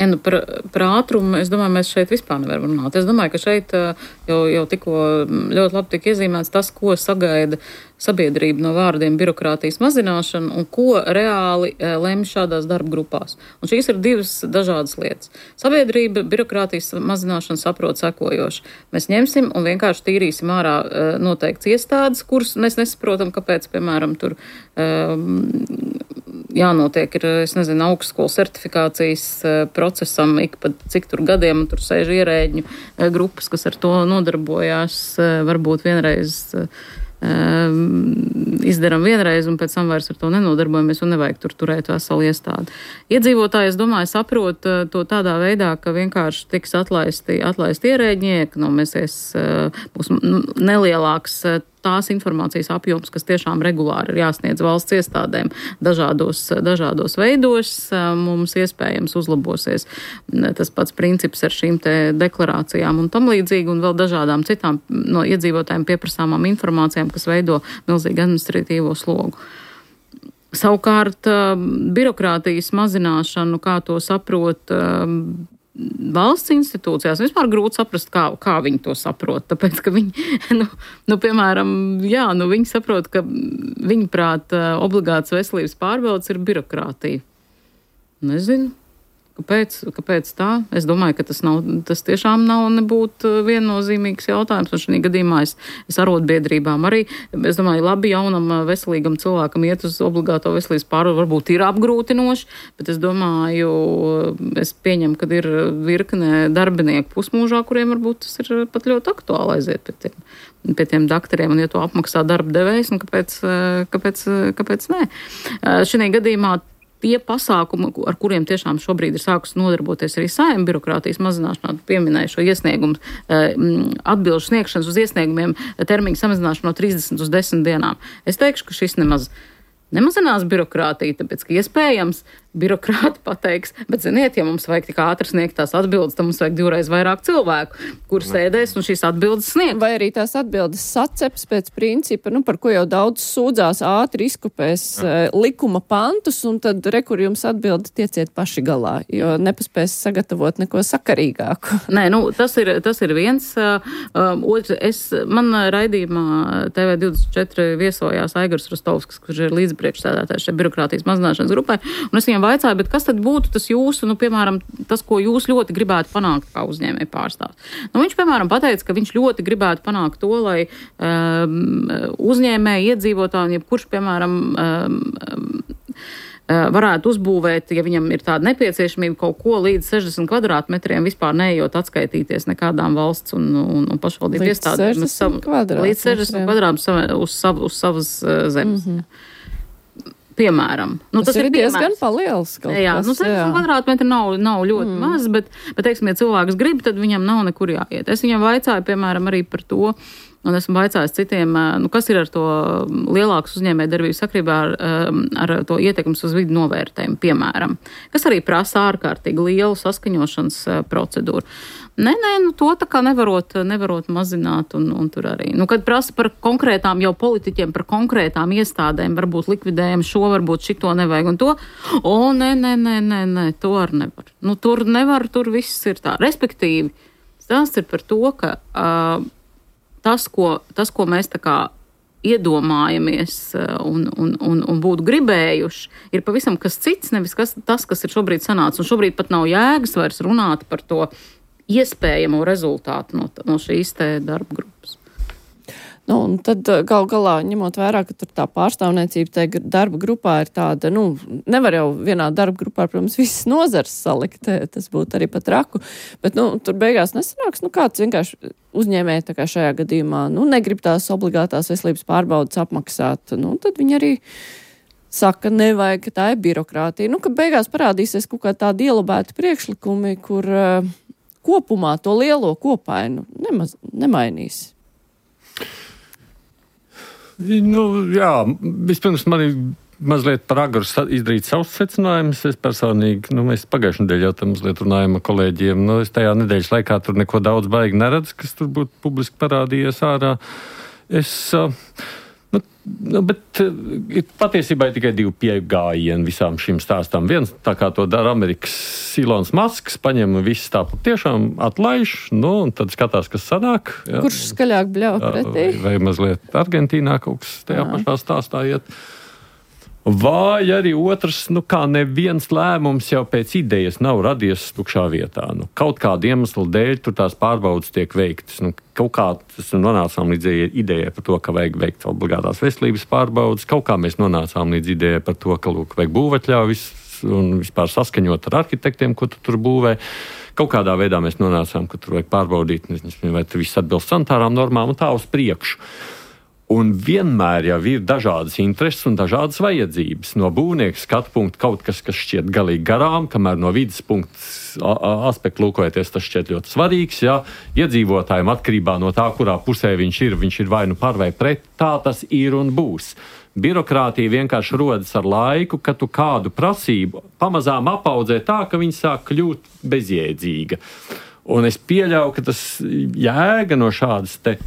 Ja, nu, par, par ātrumu, es domāju, mēs šeit vispār nevaram runāt. Es domāju, ka šeit jau, jau tikko ļoti labi tika iezīmēts tas, ko sagaida sabiedrība no vārdiem birokrātijas mazināšana un ko reāli lemj šādās darba grupās. Un šīs ir divas dažādas lietas. Sabiedrība birokrātijas mazināšanu saprot sekojoši. Mēs ņemsim un vienkārši tīrīsim ārā noteikts iestādes, kuras mēs nesaprotam, kāpēc, piemēram, tur um, jānotiek ir, es nezinu, augstskolas certifikācijas procesam ik pa cik tur gadiem, un tur sēž ierēģņu grupas, kas ar to nodarbojās, varbūt vienreiz izdaram vienreiz un pēc tam vairs ar to nenodarbojamies un nevajag tur turēt veselu iestādi. Iedzīvotāji, es domāju, saprot to tādā veidā, ka vienkārši tiks atlaisti, atlaisti ierēģi, ekonomēsies, būs nelielāks tās informācijas apjoms, kas tiešām regulāri ir jāsniedz valsts iestādēm dažādos, dažādos veidos, mums iespējams uzlabosies tas pats princips ar šīm te deklarācijām un tam līdzīgi, un vēl dažādām citām no iedzīvotājiem pieprasāmām informācijām, kas veido milzīgu administratīvo slogu. Savukārt, birokrātijas mazināšanu, kā to saprot valsts institūcijās, vispār grūti saprast, kā, kā viņi to saprot, tāpēc, ka viņi, nu, nu piemēram, jā, nu viņi saprot, ka viņi prāt obligāts veselības pārbaudas ir birokrātija. Nezinu. Kāpēc, kāpēc tā? Es domāju, ka tas, nav, tas tiešām nav nebūt viennozīmīgs jautājums, un šī gadījumā es, es arotbiedrībām arī, es domāju, labi jaunam veselīgam cilvēkam iet uz obligāto veselības pārbaudu varbūt ir apgrūtinoši, bet es domāju, es pieņemu, ka ir virkne darbinieku pusmūžā, kuriem varbūt tas ir pat ļoti aktuāli aiziet pie tiem, pie tiem daktariem, un ja to apmaksā darba devējs, un kāpēc, kāpēc, kāpēc nē? Šī gadījumā tie pasākumi, ar kuriem tiešām šobrīd ir sākus nodarboties arī Saeima birokrātijas mazināšanā, pieminēja šo iesniegumu, atbilžu sniegšanas uz iesniegumiem termiņu samazināšanu no trīsdesmit uz desmit dienām. Es teikšu, ka šis nemaz nemazinās birokrātiju, tāpēc, ka iespējams birokrāti pateiks, bet, ziniet, ja mums vajag tik ātri sniegt tās atbildes, tad mums vajag divreiz vairāk cilvēku, kur sēdēs un šīs atbildes sniegt. Vai arī tās atbildes saceps pēc principa, nu, par ko jau daudz sūdzās, ātri izkopēs uh, likuma pantus, un tad rekur jums atbildi tieciet paši galā, jo nepaspēs sagatavot neko sakarīgāku. Nē, nu, tas ir, tas ir viens. Uh, otrs, es, man raidījumā T V divdesmit četri viesojās Aigars Rostovskis, kurš ir līdzpriekšsēdētājs šeit birokrātijas mazināšanas grupai, un es viņam vaicāju, bet kas tad būtu tas jūsu, nu, piemēram, tas, ko jūs ļoti gribētu panākt kā uzņēmēji pārstāvs? Nu, viņš, piemēram, pateica, ka viņš ļoti gribētu panākt to, lai um, uzņēmēji, iedzīvotāji, jebkurš, piemēram, um, um, varētu uzbūvēt, ja viņam ir tāda nepieciešamība kaut ko līdz sešdesmit kvadrātmetriem, vispār neejot atskaitīties nekādām valsts un, un, un pašvaldību iestādēm. Līdz sešdesmit kvadrātmetriem uz, sav, uz savas uh, zemes. Mm-hmm. Piemēram. Nu, tas, tas ir, ir diezgan paliels kaut jā, kas. Nu, sešdesmit kvadrātmetri nav, nav ļoti mm. maz, bet, bet, teiksim, ja cilvēks grib, tad viņam nav nekur jāiet. Es viņam vaicāju, piemēram, arī par to, un esmu vaicājis citiem, nu, kas ir ar to lielākas uzņēmējdarbības sakrībā ar, ar to ietekmes uz vidu novērtējumu, piemēram, kas arī prasa ārkārtīgi lielu saskaņošanas procedūru. Nē, nē, nu to tā kā nevarot, nevarot mazināt un, un tur arī. Nu, kad prasa par konkrētām jau politiķiem, par konkrētām iestādēm, varbūt likvidējam šo, varbūt šito nevajag un to. O, nē, nē, nē, nē, nē, to ar nevar. Nu, tur nevar, tur viss ir tā. Respektīvi, stāsts ir par to, ka uh, tas, ko, tas, ko mēs tā kā iedomājamies un, un, un, un būtu gribējuši, ir pavisam kas cits, nevis kas, tas, kas ir šobrīd sanācis. Un šobrīd pat nav jēgas vairs runāt par to iespējamo rezultātu no, no šīs te darba grupas. Nu, un tad gal galā, ņemot vērā, ka tur tā pārstāvniecība tajā darba grupā ir tāda, nu, nevar jau vienā darba grupā, protams, visas nozars salikt, tas būtu arī pat raku, bet, nu, tur beigās nesanāks, nu, kāds vienkārši uzņēmēji, tā kā šajā gadījumā, nu, negrib tās obligātās veselības pārbaudas apmaksāt, nu, tad viņi arī saka, nevajag, ka tā ir birokrātija. Nu, ka beigās parādīsies kaut kā tādi ielabēti priekšlikumi, kur uh, kopumā to lielo kopainu nemaz, nemainīs. Nu, jā, vispirms man ir mazliet par agru izdarīt savus secinājumus. Es personīgi, nu, mēs pagājušajā nedēļā jau tam mazliet runājam ar kolēģiem. Nu, es tajā nedēļas laikā tur neko daudz baigi neredzu, kas tur būtu publiski parādījies ārā. Es... Uh, Nu, nu, bet ir patiesībā tikai divi pieejami visām šīm stāstām. Viens, tā kā to dara Amerikas Ilons Masks, paņem visu tā tiešām atlaiž, nu, un tad skatās, kas sanāk. Jā. Kurš skaļāk bļauj pretī? Vai, vai mazliet Argentīnā kaut kas tajā jā. Pašā stāstā iet. Vai arī otrs, nu kā neviens lēmums jau pēc idejas nav radies tukšā vietā. Nu, kaut kādu iemeslu dēļ tur tās pārbaudas tiek veiktas. Nu, kaut kā tas nonācām līdz idejai par to, ka vajag veikt obligātās veselības pārbaudas. Kaut kā mēs nonācām līdz idejai par to, ka lūk, vajag būvatļaujas un vispār saskaņot ar arhitektiem, ko tu tur būvē. Kaut kādā veidā mēs nonācām, ka tur vajag pārbaudīt, nezinu, vai tur viss atbilst sanitārām normām un tā uz priekšu. Un vienmēr jau ir dažādas intereses un dažādas vajadzības. No būvnieka skatu punkta kaut kas, kas šķiet galīgi garām, kamēr no vidas punkta aspekta lūkojoties, tas šķiet ļoti svarīgs. Ja? Iedzīvotājiem atkarībā no tā, kurā pusē viņš ir, viņš ir vai nu par vai pret, tā tas ir un būs. Birokrātija vienkārši rodas ar laiku, ka tu kādu prasību pamazām apaudzē tā, ka viņi sāk kļūt bezjēdzīga. Un es pieļauju, ka tas jēga no šādas te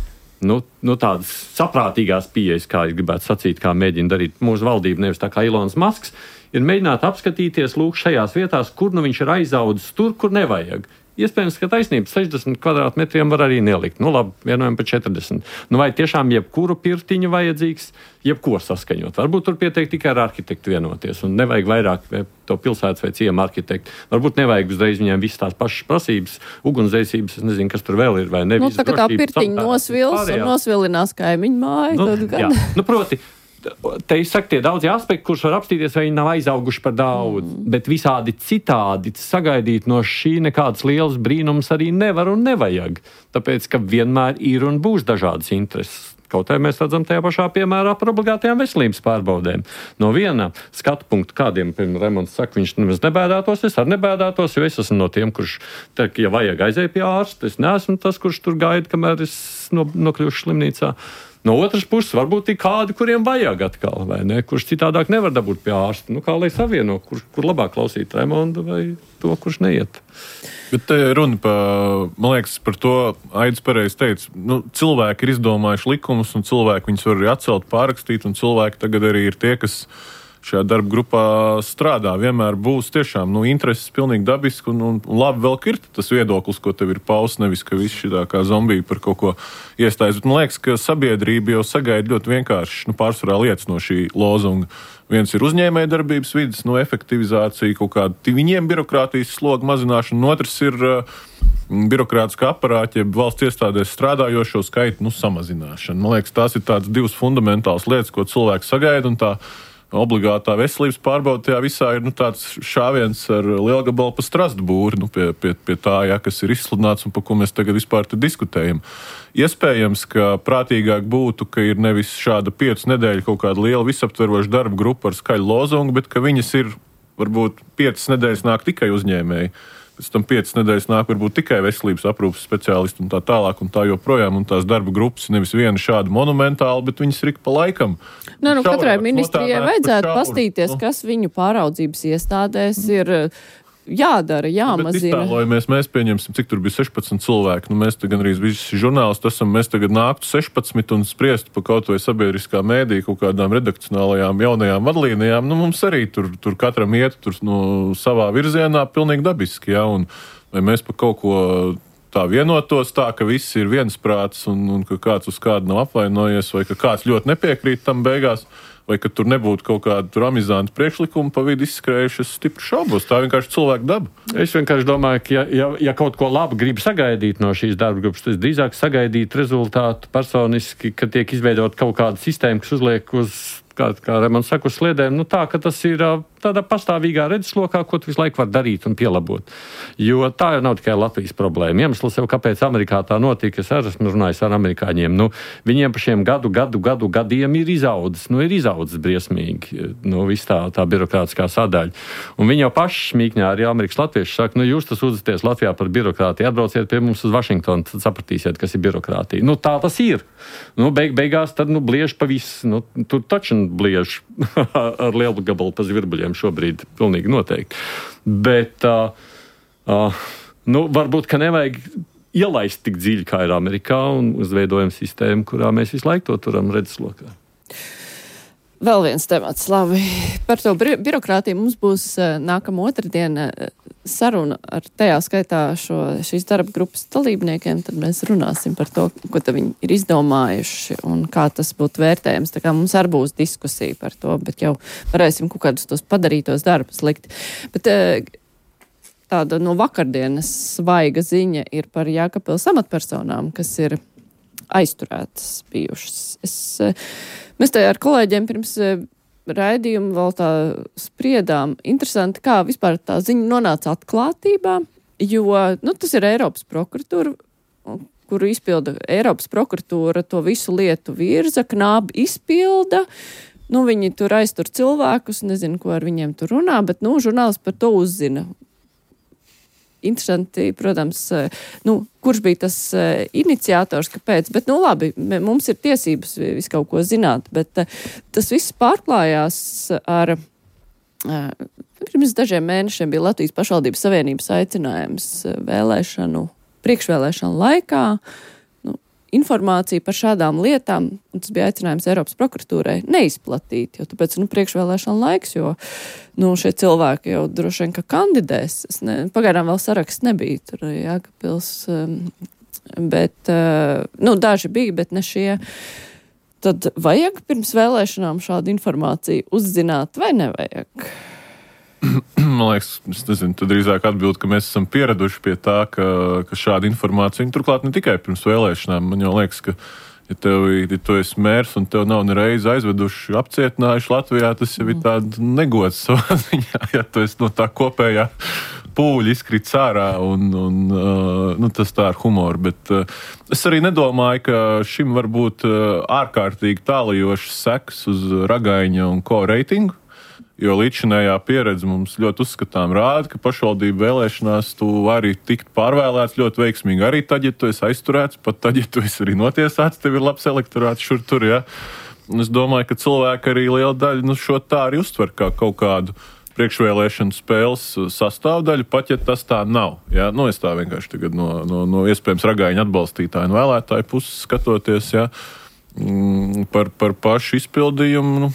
Nu, nu tādas saprātīgās pieejas, kā es gribētu sacīt, kā mēģina darīt mūsu valdība, nevis tā kā Ilons Masks, ir mēģināt apskatīties lūk šajās vietās, kur nu viņš ir aizaudzis tur, kur nevajag. Iespējams, ka taisnība sešdesmit kvadrātmetriem var arī nelikt. Nu labi, vienojam par četrdesmit. Nu vai tiešām jebkuru pirtiņu vajadzīgs, jebko saskaņot? Varbūt tur pietiek tikai ar arhitektu vienoties un nevajag vairāk to pilsētas vai ciemu arhitektu. Varbūt nevajag uzreiz viņiem visas tās pašas prasības, ugunsdzēsības, es nezinu, kas tur vēl ir vai ne. Nu, tā kā tā pirtiņa nosvils un nosvilinās kaimiņu māju. Nu, tad gan. Jā, nu proti. Te es saku, tie daudzi aspekti, kurus var apstīties, vai viņi nav aizauguši par daudz, mm. bet visādi citādi sagaidīt no šī nekādas lielas brīnums arī nevar un nevajag. Tāpēc, ka vienmēr ir un būs dažādas intereses. Kaut arī mēs redzam tajā pašā piemērā par obligātajām veselības pārbaudēm. No viena skatu punkta, kādiem, piemēram, Remonds saka, viņš nemaz nebēdātos, es arī nebēdātos, jo es esmu no tiem, kurš, tā, ja vajag aizēj pie ārsta, es neesmu tas, kurš tur gaida, kamēr es no, nokļūšu slimnīcā. No otras puses, varbūt ir kādi, kuriem vajag atkal, vai ne? Kurš citādāk nevar dabūt pie ārsta. Nu, kā lai savieno, kur, kur labāk klausīt Raimondu vai to, kurš neiet. Bet te runa pa, man liekas, par to Aidis pareizi teica, nu, cilvēki ir izdomājuši likumus, un cilvēki viņus var arī atcelt, pārrakstīt, un cilvēki tagad arī ir tie, kas šajā darba grupā strādā. Vienmēr būs tiešām nu, intereses pilnīgi dabiski un, un, un labi vēl ir tas viedoklis, ko tev ir pausts, nevis, ka viss šitā kā zombija par kaut ko iestājas. Bet man liekas, ka sabiedrība jau sagaida ļoti vienkārši nu, pārsvarā lietas no šī lozunga. Viens ir uzņēmēja darbības vidas, nu, efektivizācija, kaut kāda viņiem birokrātijas sloga mazināšana, un otrs ir uh, birokrātiskā aparāta, ja valsts iestādēs strādājošo skaitu nu, samazināšana. Man liekas, tās ir tādas divas fundamentālas lietas, ko cilvēks sagaida, un tā obligātā veselības pārbauda tajā visā ir nu, tāds šāviens ar lielgabalu pa strastu būri nu, pie, pie, pie tā, ja, kas ir izsludināts un par ko mēs tagad vispār te diskutējam. Iespējams, ka prātīgāk būtu, ka ir nevis šāda piecu nedēļu kaut kāda liela visaptveroša darba grupa ar skaļu lozungu, bet ka viņas ir, varbūt, piecas nedēļas nāk tikai uzņēmēji. Pēc tam piecas nedēļas nāk varbūt tikai veselības aprūpes speciālisti un tā tālāk un tā joprojām. Un tās darba grupas nevis viena šāda monumentāla, bet viņas ir pa laikam. Nē, nu, katrai ministrijai vajadzētu pastīties, nu. Kas viņu pāraudzības iestādēs ir jādara, jāmazina. Bet iztēlojamies, mēs pieņemsim, cik tur bija sešpadsmit cilvēki. Nu, mēs te gan arī visi žurnālisti esam, mēs tagad nāktu sešpadsmit un spriestu pa kaut vai sabiedriskā mēdī kaut kādām redakcionālajām jaunajām vadlīnijām. Nu, mums arī tur, tur katram iet tur, nu, savā virzienā pilnīgi dabiski, ja, un vai mēs pa kaut ko tā vienotos tā, ka viss ir viensprāts un, un ka kāds uz kādu nav apvainojies vai ka kāds ļoti nepiekrīt tam beigās. Vai ka tur nebūtu kaut kāda tur amizanta priekšlikuma pa vidu izskrējuši, es stipri šaubos. Tā vienkārši cilvēku daba. Es vienkārši domāju, ka ja, ja, ja kaut ko labu grib sagaidīt no šīs darba grupas, tad drīzāk sagaidīt rezultātu personiski, ka tiek izveidot kaut kāda sistēma, kas uzliek uz, kā, kā Raimonds saka, uz sliedēm, nu tā, ka tas ir tādā pastāvīgā redzeslokā, ko tu visu laiku var darīt un pielabot. Jo tā jau nav tikai Latvijas problēma. Iemesls jau, kāpēc Amerikā tā notika, es arī esmu runājis ar amerikāņiem. Nu, viņiem pa šiem gadu, gadu, gadu gadiem ir izaudzis, nu ir izaudzis briesmīgi, nu viss tā, tā birokrātiskā sadaļa. Un viņi jau paši smīkņā arī Amerikas latvieši saka, nu jūs tas uzveties Latvijā par birokrātiju, atbrauciet pie mums uz Vašingtonu, tad sapratīsiet, kas ir birokrātija. Nu tā tas ir. Nu beig, beigās tad, nu, bliež pa visu, nu tur taču bliež ar lielu gabalu pa zvirbuļiem šobrīd pilnīgi noteikti. Bet, uh, uh, nu, varbūt, ka nevajag ielaist tik dziļi, kā ir Amerikā, un uzveidojam sistēmu, kurā mēs visu laiku to turam redzeslokā. Vēl viens temats, labi. Par to bi- birokrātiju mums būs uh, nākamā otrdiena uh, saruna ar tajā skaitā šo, šīs darba grupas dalībniekiem, tad mēs runāsim par to, ko tad viņi ir izdomājuši un kā tas būtu vērtējams. Tā kā mums arī būs diskusija par to, bet jau varēsim kaut kādus tos padarītos darbus likt. Bet uh, tāda no vakardienas svaiga ziņa ir par Jēkabpils amatpersonām, kas ir aizturētas bijušas. Es, mēs te ar kolēģiem pirms raidījuma vēl tā spriedām. Interesanti, kā vispār tā ziņa nonāca atklātībā, jo nu, tas ir Eiropas prokuratūra, kuru izpilda Eiropas prokuratūra, to visu lietu virza, knābi izpilda. Nu, viņi tur aiztur cilvēkus, nezinu, ko ar viņiem tur runā, bet nu, žurnālisti par to uzzina. Interesanti, protams, nu, kurš bija tas uh, iniciators, kāpēc, bet, nu, labi, mums ir tiesības visu kaut ko zināt, bet uh, tas viss pārklājās ar, uh, pirms dažiem mēnešiem bija Latvijas pašvaldības savienības aicinājums vēlēšanu, priekšvēlēšanu laikā, nu, informāciju par šādām lietām, un tas bija aicinājums Eiropas prokuratūrai neizplatīt, jo tāpēc, nu, priekšvēlēšanu laiks, jo nu, šie cilvēki jau droši vien, ka kandidēs. Es ne, pagaidām vēl saraksts nebija tur Jēkabpils, um, bet, uh, nu, daži bija, bet ne šie. Tad vajag pirms vēlēšanām šādu informāciju uzzināt vai nevajag? Man liekas, es nezinu, tad drīzāk atbild, ka mēs esam pieraduši pie tā, ka, ka šāda informācija, turklāt ne tikai pirms vēlēšanām, man jau liekas, ka ja tev ja tu esi mērs un tev nav nereiz aizveduši, apcietinājuši Latvijā, tas jau ir tāda negods savā ziņā, ja tu esi no tā kopējā pūļa izkrits ārā un, un uh, nu, tas tā ar humoru. Bet uh, es arī nedomāju, ka šim var būt uh, ārkārtīgi tālajošas sekas uz Ragaiņa un ko reitingu. Jo līdzinējā pieredze mums ļoti uzskatām rāda, ka pašvaldību vēlēšanās tu vari tikt pārvēlēts ļoti veiksmīgi. Arī tad, ja tu esi aizturēts, pat tad, ja tu esi arī notiesāts, tev ir labs elektorāts šur tur, ja. Un es domāju, ka cilvēki arī liela daļa nu, šo tā arī uztver kā kaut kādu priekšvēlēšanu spēles sastāvdaļu, pat ja tas tā nav. Ja? Nu, es tā vienkārši tagad no, no, no iespējams ragaiņu atbalstītāju un vēlētāju puses skatoties, ja? mm, par, par pašu izpildījumu. Nu,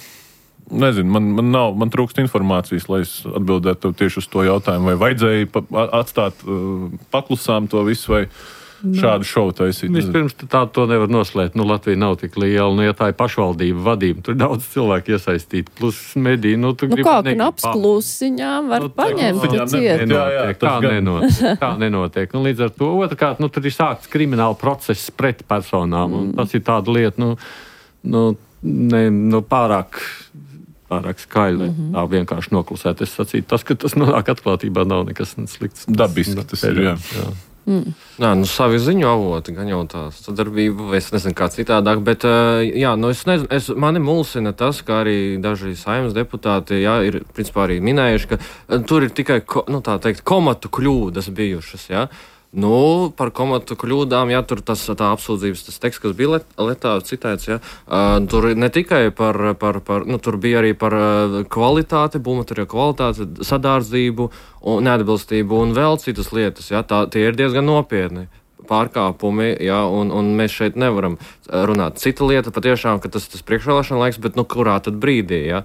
nezinu, man, man, nav, man trūkst informācijas, lai es atbildētu tieši uz to jautājumu, vai vajadzēja pa, atstāt uh, paklusām to visu, vai šādu šovu taisīt. Vispirms tā to nevar noslēgt. Nu, Latvija nav tik liela, nu, ja tā ir pašvaldība vadība, tur daudz cilvēku iesaistīti, plus mediji. Nu, nu kā knaps klusiņām var nu, paņemt ciet? Nenotiek, tā nenotiek. Tā nenotiek. Nu, līdz ar to otrkārt, nu, tur ir sākts krimināla process pret personām, un tas ir tāda lieta, nu, nu, ne, nu pārāk... pārāk skaļi, mm-hmm. tā vienkārši noklusēt. Es sacītu, tas, ka tas nonāk atklātībā, nav nekas slikts. Dabiski tas ir, jā. jā. Mm. Nā, nu savi ziņu avoti, gan jau tā sadarbība, es nezinu kā citādāk, bet, jā, nu es nezinu, es, mani mulsina tas, ka arī daži saimnes deputāti, jā, ir, principā arī minējuši, ka tur ir tikai, nu tā teikt, komatu kļūdas bijušas, jā. Nu, par komatu kļūdām, jā, tur tas tā apsūdzības, tas teksts, kas bija letā citēts, jā, uh, tur ne tikai par, par, par, nu, tur bija arī par uh, kvalitāti, būvmateriālu kvalitāti, sadārdzību un neatbilstību un vēl citas lietas, jā, tā, tie ir diezgan nopietni pārkāpumi, jā, un, un mēs šeit nevaram runāt. Cita lieta patiešām, ka tas tas priekšvēlēšana laiks, bet nu kurā tad brīdī, jā?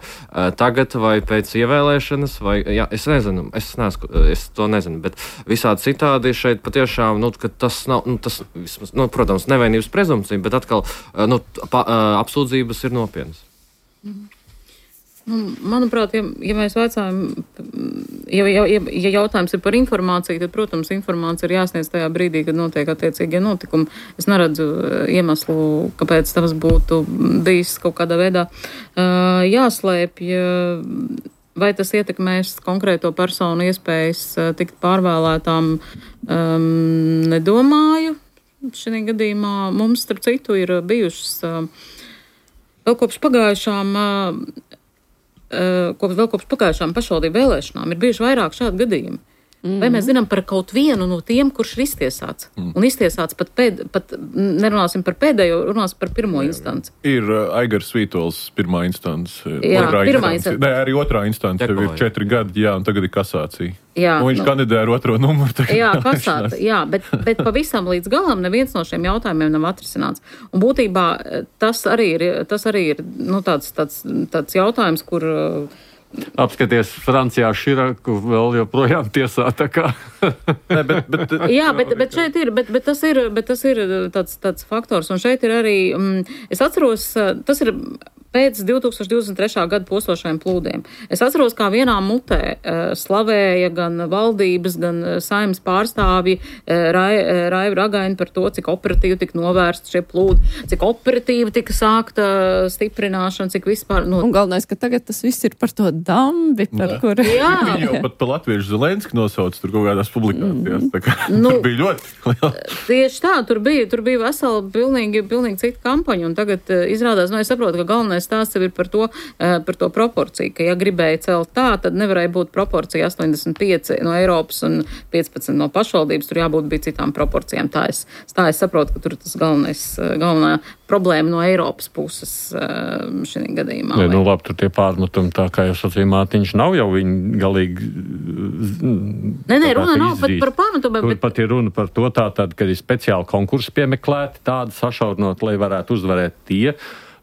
Tagad vai pēc ievēlēšanas, vai, jā, es nezinu, es, nesku, es to nezinu, bet visādi citādi šeit patiešām, nu, ka tas nav, nu, tas, vismaz, nu, protams, nevainības prezumcija, bet atkal, nu, pa, apsūdzības ir nopietnas. Mhm. Nu, manuprāt, ja, ja mēs vaicājam, ja, ja, ja jautājums ir par informāciju, tad, protams, informācija ir jāsniedz tajā brīdī, kad notiek attiecīgie notikumi. Es neredzu iemeslu, kāpēc tas būtu bijis kaut kādā veidā uh, jāslēpj. Vai tas ietekmēs konkrēto personu iespējas uh, tikt pārvēlētām, um, nedomāju. Šajā gadījumā mums, starp citu, ir bijušas uh, vēl kopš pagājušām uh, Kopš, vēl kopš pagājušām pašvaldību vēlēšanām ir bijuši vairāk šādu gadījumu. Mm-hmm. Vai mēs zinām par kaut vienu no tiem, kurš ir iztiesāts? Mm. Un iztiesāts pat, pēd, pat nerunāsim par pēdējo, runāsim par pirmo jā, instanci. Ir uh, Aigars Vītols pirmā instance. Jā, otrā pirmā instance. Nē, arī otrā instance jau ir četri gadi, jā, un tagad ir kasācija. Jā, un viņš nu, kandidē ar otro numuru. Jā, kasācija, jā, bet, bet pavisam līdz galam neviens no šiem jautājumiem nav atrisināts. Un būtībā tas arī ir, tas arī ir nu, tāds, tāds, tāds jautājums, kur... Apskaties, Francijā Širaku vēl joprojām tiesā, tā kā. ne, bet, bet, Jā, bet, bet šeit ir, bet, bet tas ir, bet tas ir tāds, tāds faktors, un šeit ir arī, um, es atceros, tas ir pēc divi tūkstoši divdesmit trešā gada postošajiem plūdiem. Es atceros, kā vienā mutē uh, slavēja gan valdības, gan uh, saimnes pārstāvji uh, Raivu Rai Ragaini par to, cik operatīvi tika novērsti šie plūdi, cik operatīvi tika sākta stiprināšana, cik vispār... Nu... Un galvenais, ka tagad tas viss ir par to dambi, par kuru... Jā. Viņi jau pat pa latviešu Zelenski nosauc tur kaut kādās publikācijās. Mm. Tā kā nu, tur bija ļoti... Tieši tā, tur bija, tur bija vesela pilnīgi, pilnīgi cita kampaņa, un tagad uh, izrādās, nu, es saprotu, ka galvenais stāsts ir par to, uh, par to proporciju, ka ja gribēja celt tā, tad nevarēja būt proporcija astoņdesmit pieci no Eiropas un piecpadsmit no pašvaldības, tur jābūt bija citām proporcijām. Tā es, tā es saprotu, ka tur tas galvenais, galvenā problēma no Eiropas puses uh, šī gadījumā. Ne, nu labi, tur tie pārmetumi, tā kā jau sacīja Mātiņš, nav jau viņi galīgi... Nē, nē, runa nav pat par pārmetumiem. Tur bet... pat ir runa par to tā, tad, kad ir speciāli konkursi piemeklēti, tādi sašaurinot, lai varētu uzvarēt tie,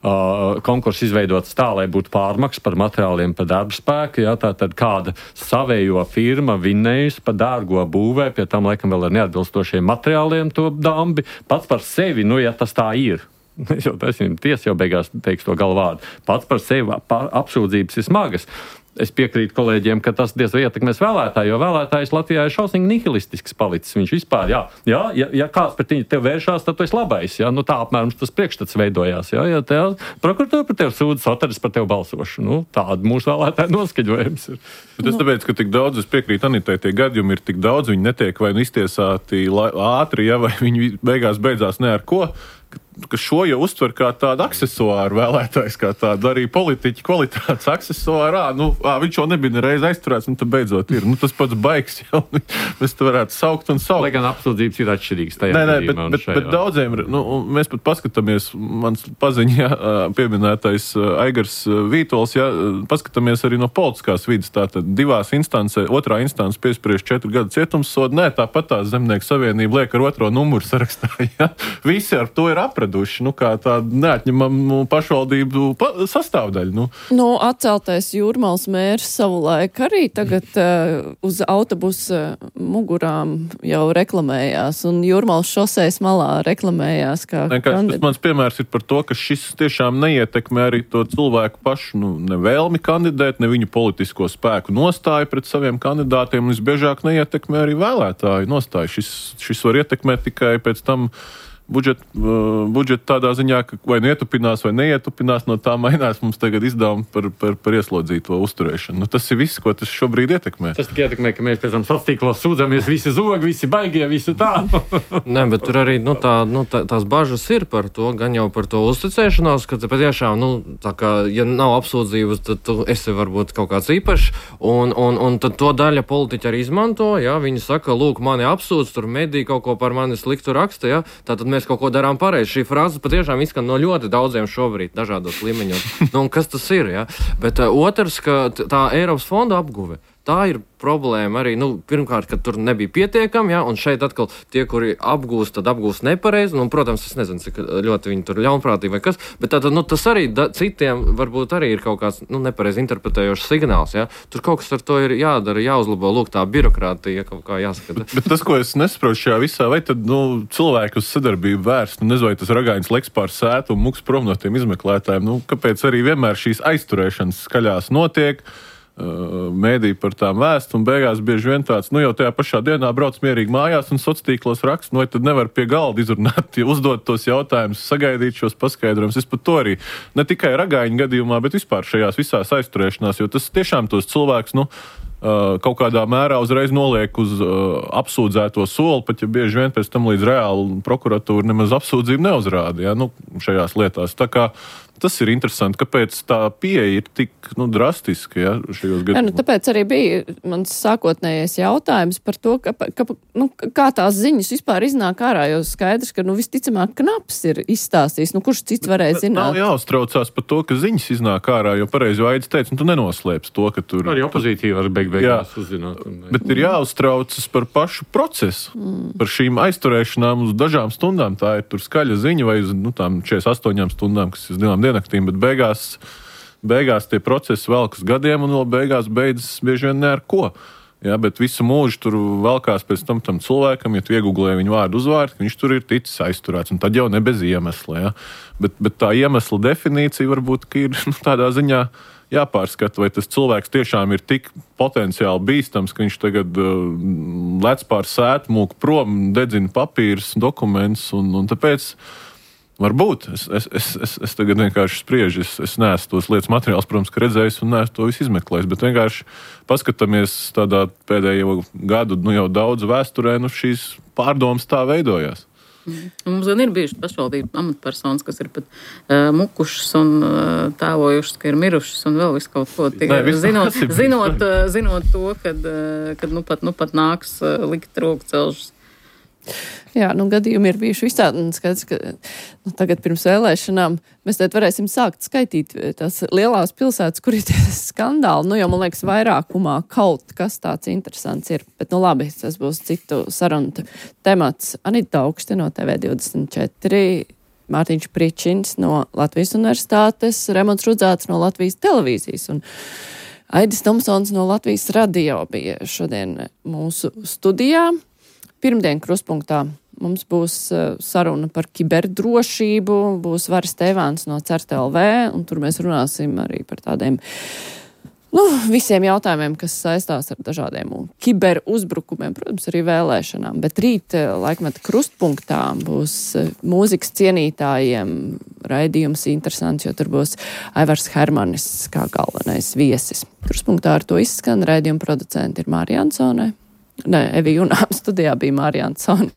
Uh, konkursu izveidots tā, lai būtu pārmaks par materiāliem, par darba spēku. Jā, tā tad kāda savējo firma vinnējusi par dārgo būvē, pie tam laikam vēl ar neatbilstošiem materiāliem to dambi. Pats par sevi, nu, ja tas tā ir. Jo taisnība, tiesa jau beigās teiks to galvādu. Pats par sevi apsūdzības ir smagas. Es piekrītu kolēģiem, ka tas diez vai ietekmēs vēlētāju, jo vēlētājs Latvijā ir šausmīgi nihilistisks palicis. Viņš vispār, jā, jā ja, ja kāds pret viņu tev vēršās, tad tu esi labais, jā, nu tā apmēram tas priekšstats veidojās, jā, ja tev prokuratūra par tevi sūdz, Sataris par tevi balsošu, nu tāda mūsu vēlētāju noskaņojums ir. Bet es tāpēc, ka tik daudz, es piekrītu Anitai, tie gadījumi ir tik daudz, viņi netiek vai nu iztiesāti ātri, ja, vai viņi beigās beidzās ne ar ko. ka šo jau uztver kā tādu aksesuāru vēlētājs, kā tādu arī politiķu kvalitātes aksesuāru. Ā, nu, ā, viņš jau nebija nereiz aizturēts, un tad beidzot ir. Nu, tas pats baigs jau, mēs te varētu saukt un saukt. Lai gan apsūdzības ir atšķirīgas tajā nē, nē, gadījumā. Bet, bet, bet daudziem, nu, mēs pat paskatāmies, mans paziņā pieminētais Aigars Vītols, ja, paskatāmies arī no politiskās vidas, tātad divās instancē, otrā instance piespriež četru gadu cietumssodu, nē, tāpat tā Zemnieku savienība liek ar otro numuru sarakstā, ja. Visi ar to ir apraduši, nu, kā tāda neatņemama pašvaldību pa sastāvdaļa, nu. Nu, atceltais Jūrmals mērs savulaik arī tagad uh, uz autobusa mugurām jau reklamējās, un Jūrmals šoseis malā reklamējās kā kandidāts. Tas mans piemērs ir par to, ka šis tiešām neietekmē arī to cilvēku pašu, nu, nevēlmi kandidēt, ne viņu politisko spēku nostāju pret saviem kandidātiem, un visbiežāk neietekmē arī vēlētāju nostāju. Šis, šis var ietekmēt tikai pēc tam budžeta, uh, budžeta tādā ziņā, ka vai nu ietupinās vai neietupinās, no tā mainās mums tagad izdevumi par, par, par ieslodzīto uzturēšanu. Nu, tas ir viss, ko tas šobrīd ietekmē. Tas tikai ietekmē, ka mēs pēc tam sastīklos sūdzamies, visi zogi, visi baigie, visi tā. Nē, bet tur arī nu, tā, nu, tā, tās bažas ir par to, gan jau par to uzticēšanos, ka patiešām, nu, tā kā, ja nav apsūdzības, tad tu esi varbūt kaut kāds īpašs, un, un, un tad to daļa politiķi arī izmanto, ja, viņi saka, lūk, mani apsūdz, tur mediji kaut ko par mani sliktu raksta, ja, tātad mēs kaut ko darām pareizi. Šī frāze patiešām izskan no ļoti daudziem šobrīd, dažādos līmeņos. Nu, un kas tas ir, ja? Bet uh, otrs, ka tā Eiropas fonda apguve, tā ir problēma arī, nu, pirmkārt, ka tur nebija pietiekami, ja, un šeit atkal tie, kuri apgūst, tad apgūst nepareizi, nu, protams, es nezinu, cik ļoti viņi tur ļaunprātīgi vai kas, bet tātad, nu, tas arī da, citiem varbūt arī ir kaut kāds, nu, nepareizi interpretējošs signāls, ja, tur kaut kas ar to ir jādara, jāuzlabo, lūk, tā birokrātija, kaut kā jāskata. Bet, bet tas, ko es nesaprotu šajā visā, vai tad, nu, cilvēku uz sadarbību vērst, nu, nezinu, vai tas ragainis leks pār sētu un muks prom no tiem izmeklētājiem, nu, kāpēc arī vienmēr šīs aizturēšanas skaļās notiek, mēdī par tām vēst, un beigās bieži vien tāds, nu jau tajā pašā dienā brauc mierīgi mājās un sociālos raksts, nu vai tad nevar pie galda izrunāt, ja uzdot tos jautājumus, sagaidīt šos paskaidrojumus. Es pat to arī ne tikai ragaiņu gadījumā, bet vispār šajās visās aizturēšanās, jo tas tiešām tos cilvēks, nu, kaut kādā mērā uzreiz noliek uz uh, apsūdzēto soli, pat ja bieži vien pēc tam līdz reāli prokuratūra nemaz apsūdzību neuzrāda, ja, nu, šajās lietās. Tā kā tas ir interesanti, kāpēc tā pieeja ir tik, nu, drastiska, ja, šajos gadījumos. Jā, nu, tāpēc arī bija mans sākotnējais jautājums par to, ka, ka, nu, kā tās ziņas vispār iznāk ārā, jo skaidrs, ka, nu, visticamāk, Knaps ir izstāstījis, nu, kurš cits varēja zināt. Nav jāuztraucās par to, ka ziņas iznāk ārā, jo pareizi Aidis teica, nu, tu nenoslēpsi to, ka tur... Arī opozīcija var beig beigās uzzināt. Un... Bet ir jāuztraucas par pašu procesu, mm. par šīm aizturēšanām uz dažām stundām. Tā ir tur skaļa ziņa vai uz, nu, tām četrdesmit astoņām stundām, kas ir uz divām diennaktīm, bet beigās, beigās tie procesi velkas gadiem un vēl beigās beidzas bieži vien ne ar ko. Ja, bet visu mūžu tur velkās pēc tam tam cilvēkam, ja tu iegooglē viņu vārdu uzvārdu, viņš tur ir ticis aizturēts, un tad jau ne bez iemesla. Ja. Bet, bet tā iemesla definīcija varbūt ir, nu, tādā ziņā jāpārskata, vai tas cilvēks tiešām ir tik potenciāli bīstams, ka viņš tagad uh, lec pār sētu, mūk prom, dedzina papīrus, dokumentus, un, un tāpēc varbūt. Es, es, es, es, es tagad vienkārši spriežu, es, es neesmu tos lietas materiāls, protams, ka redzējis un neesmu to visu izmeklējis, bet vienkārši paskatāmies tādā pēdējo gadu, nu jau daudz vēsturē, nu šīs pārdomas tā veidojās. Mm. Mums gan ir bijušas pašvaldību amatpersonas, kas ir pat uh, mukušas un uh, tēlojušas, ka ir mirušas un vēl visu kaut ko. Tie, Nē, zinot, zinot, uh, zinot to, kad, uh, kad nu pat, nu pat nāks uh, likt roku celšas. Jā, nu gadījumi ir bijuši visādi, un skaidrs, ka nu, tagad pirms vēlēšanām mēs tad varēsim sākt skaitīt tās lielās pilsētas, kur ir tie skandāli, nu jau, man liekas, vairākumā kaut kas tāds interesants ir, bet nu labi, tas būs citu sarunu temats. Anita Augste no T V divdesmit četri, Mārtiņš Pričins no Latvijas Universitātes, Remonts Rudzāts no Latvijas televīzijas un Aidis Tomsons no Latvijas radio bija šodien mūsu studijā. Pirmdien Krustpunktā mums būs uh, saruna par kiberdrošību, būs Varis Tēvāns no C E R T L V, un tur mēs runāsim arī par tādiem, nu, visiem jautājumiem, kas saistās ar dažādiem kiberuzbrukumiem, protams, arī vēlēšanām. Bet rīt uh, laikmeta Krustpunktā būs uh, mūzikas cienītājiem raidījums interesants, jo tur būs Aivars Hermanis kā galvenais viesis. Krustpunktā ar to izskan, raidījuma producenti ir Mārija Ansone. Nē, Evi Junām studijā bija Mārija Ansone.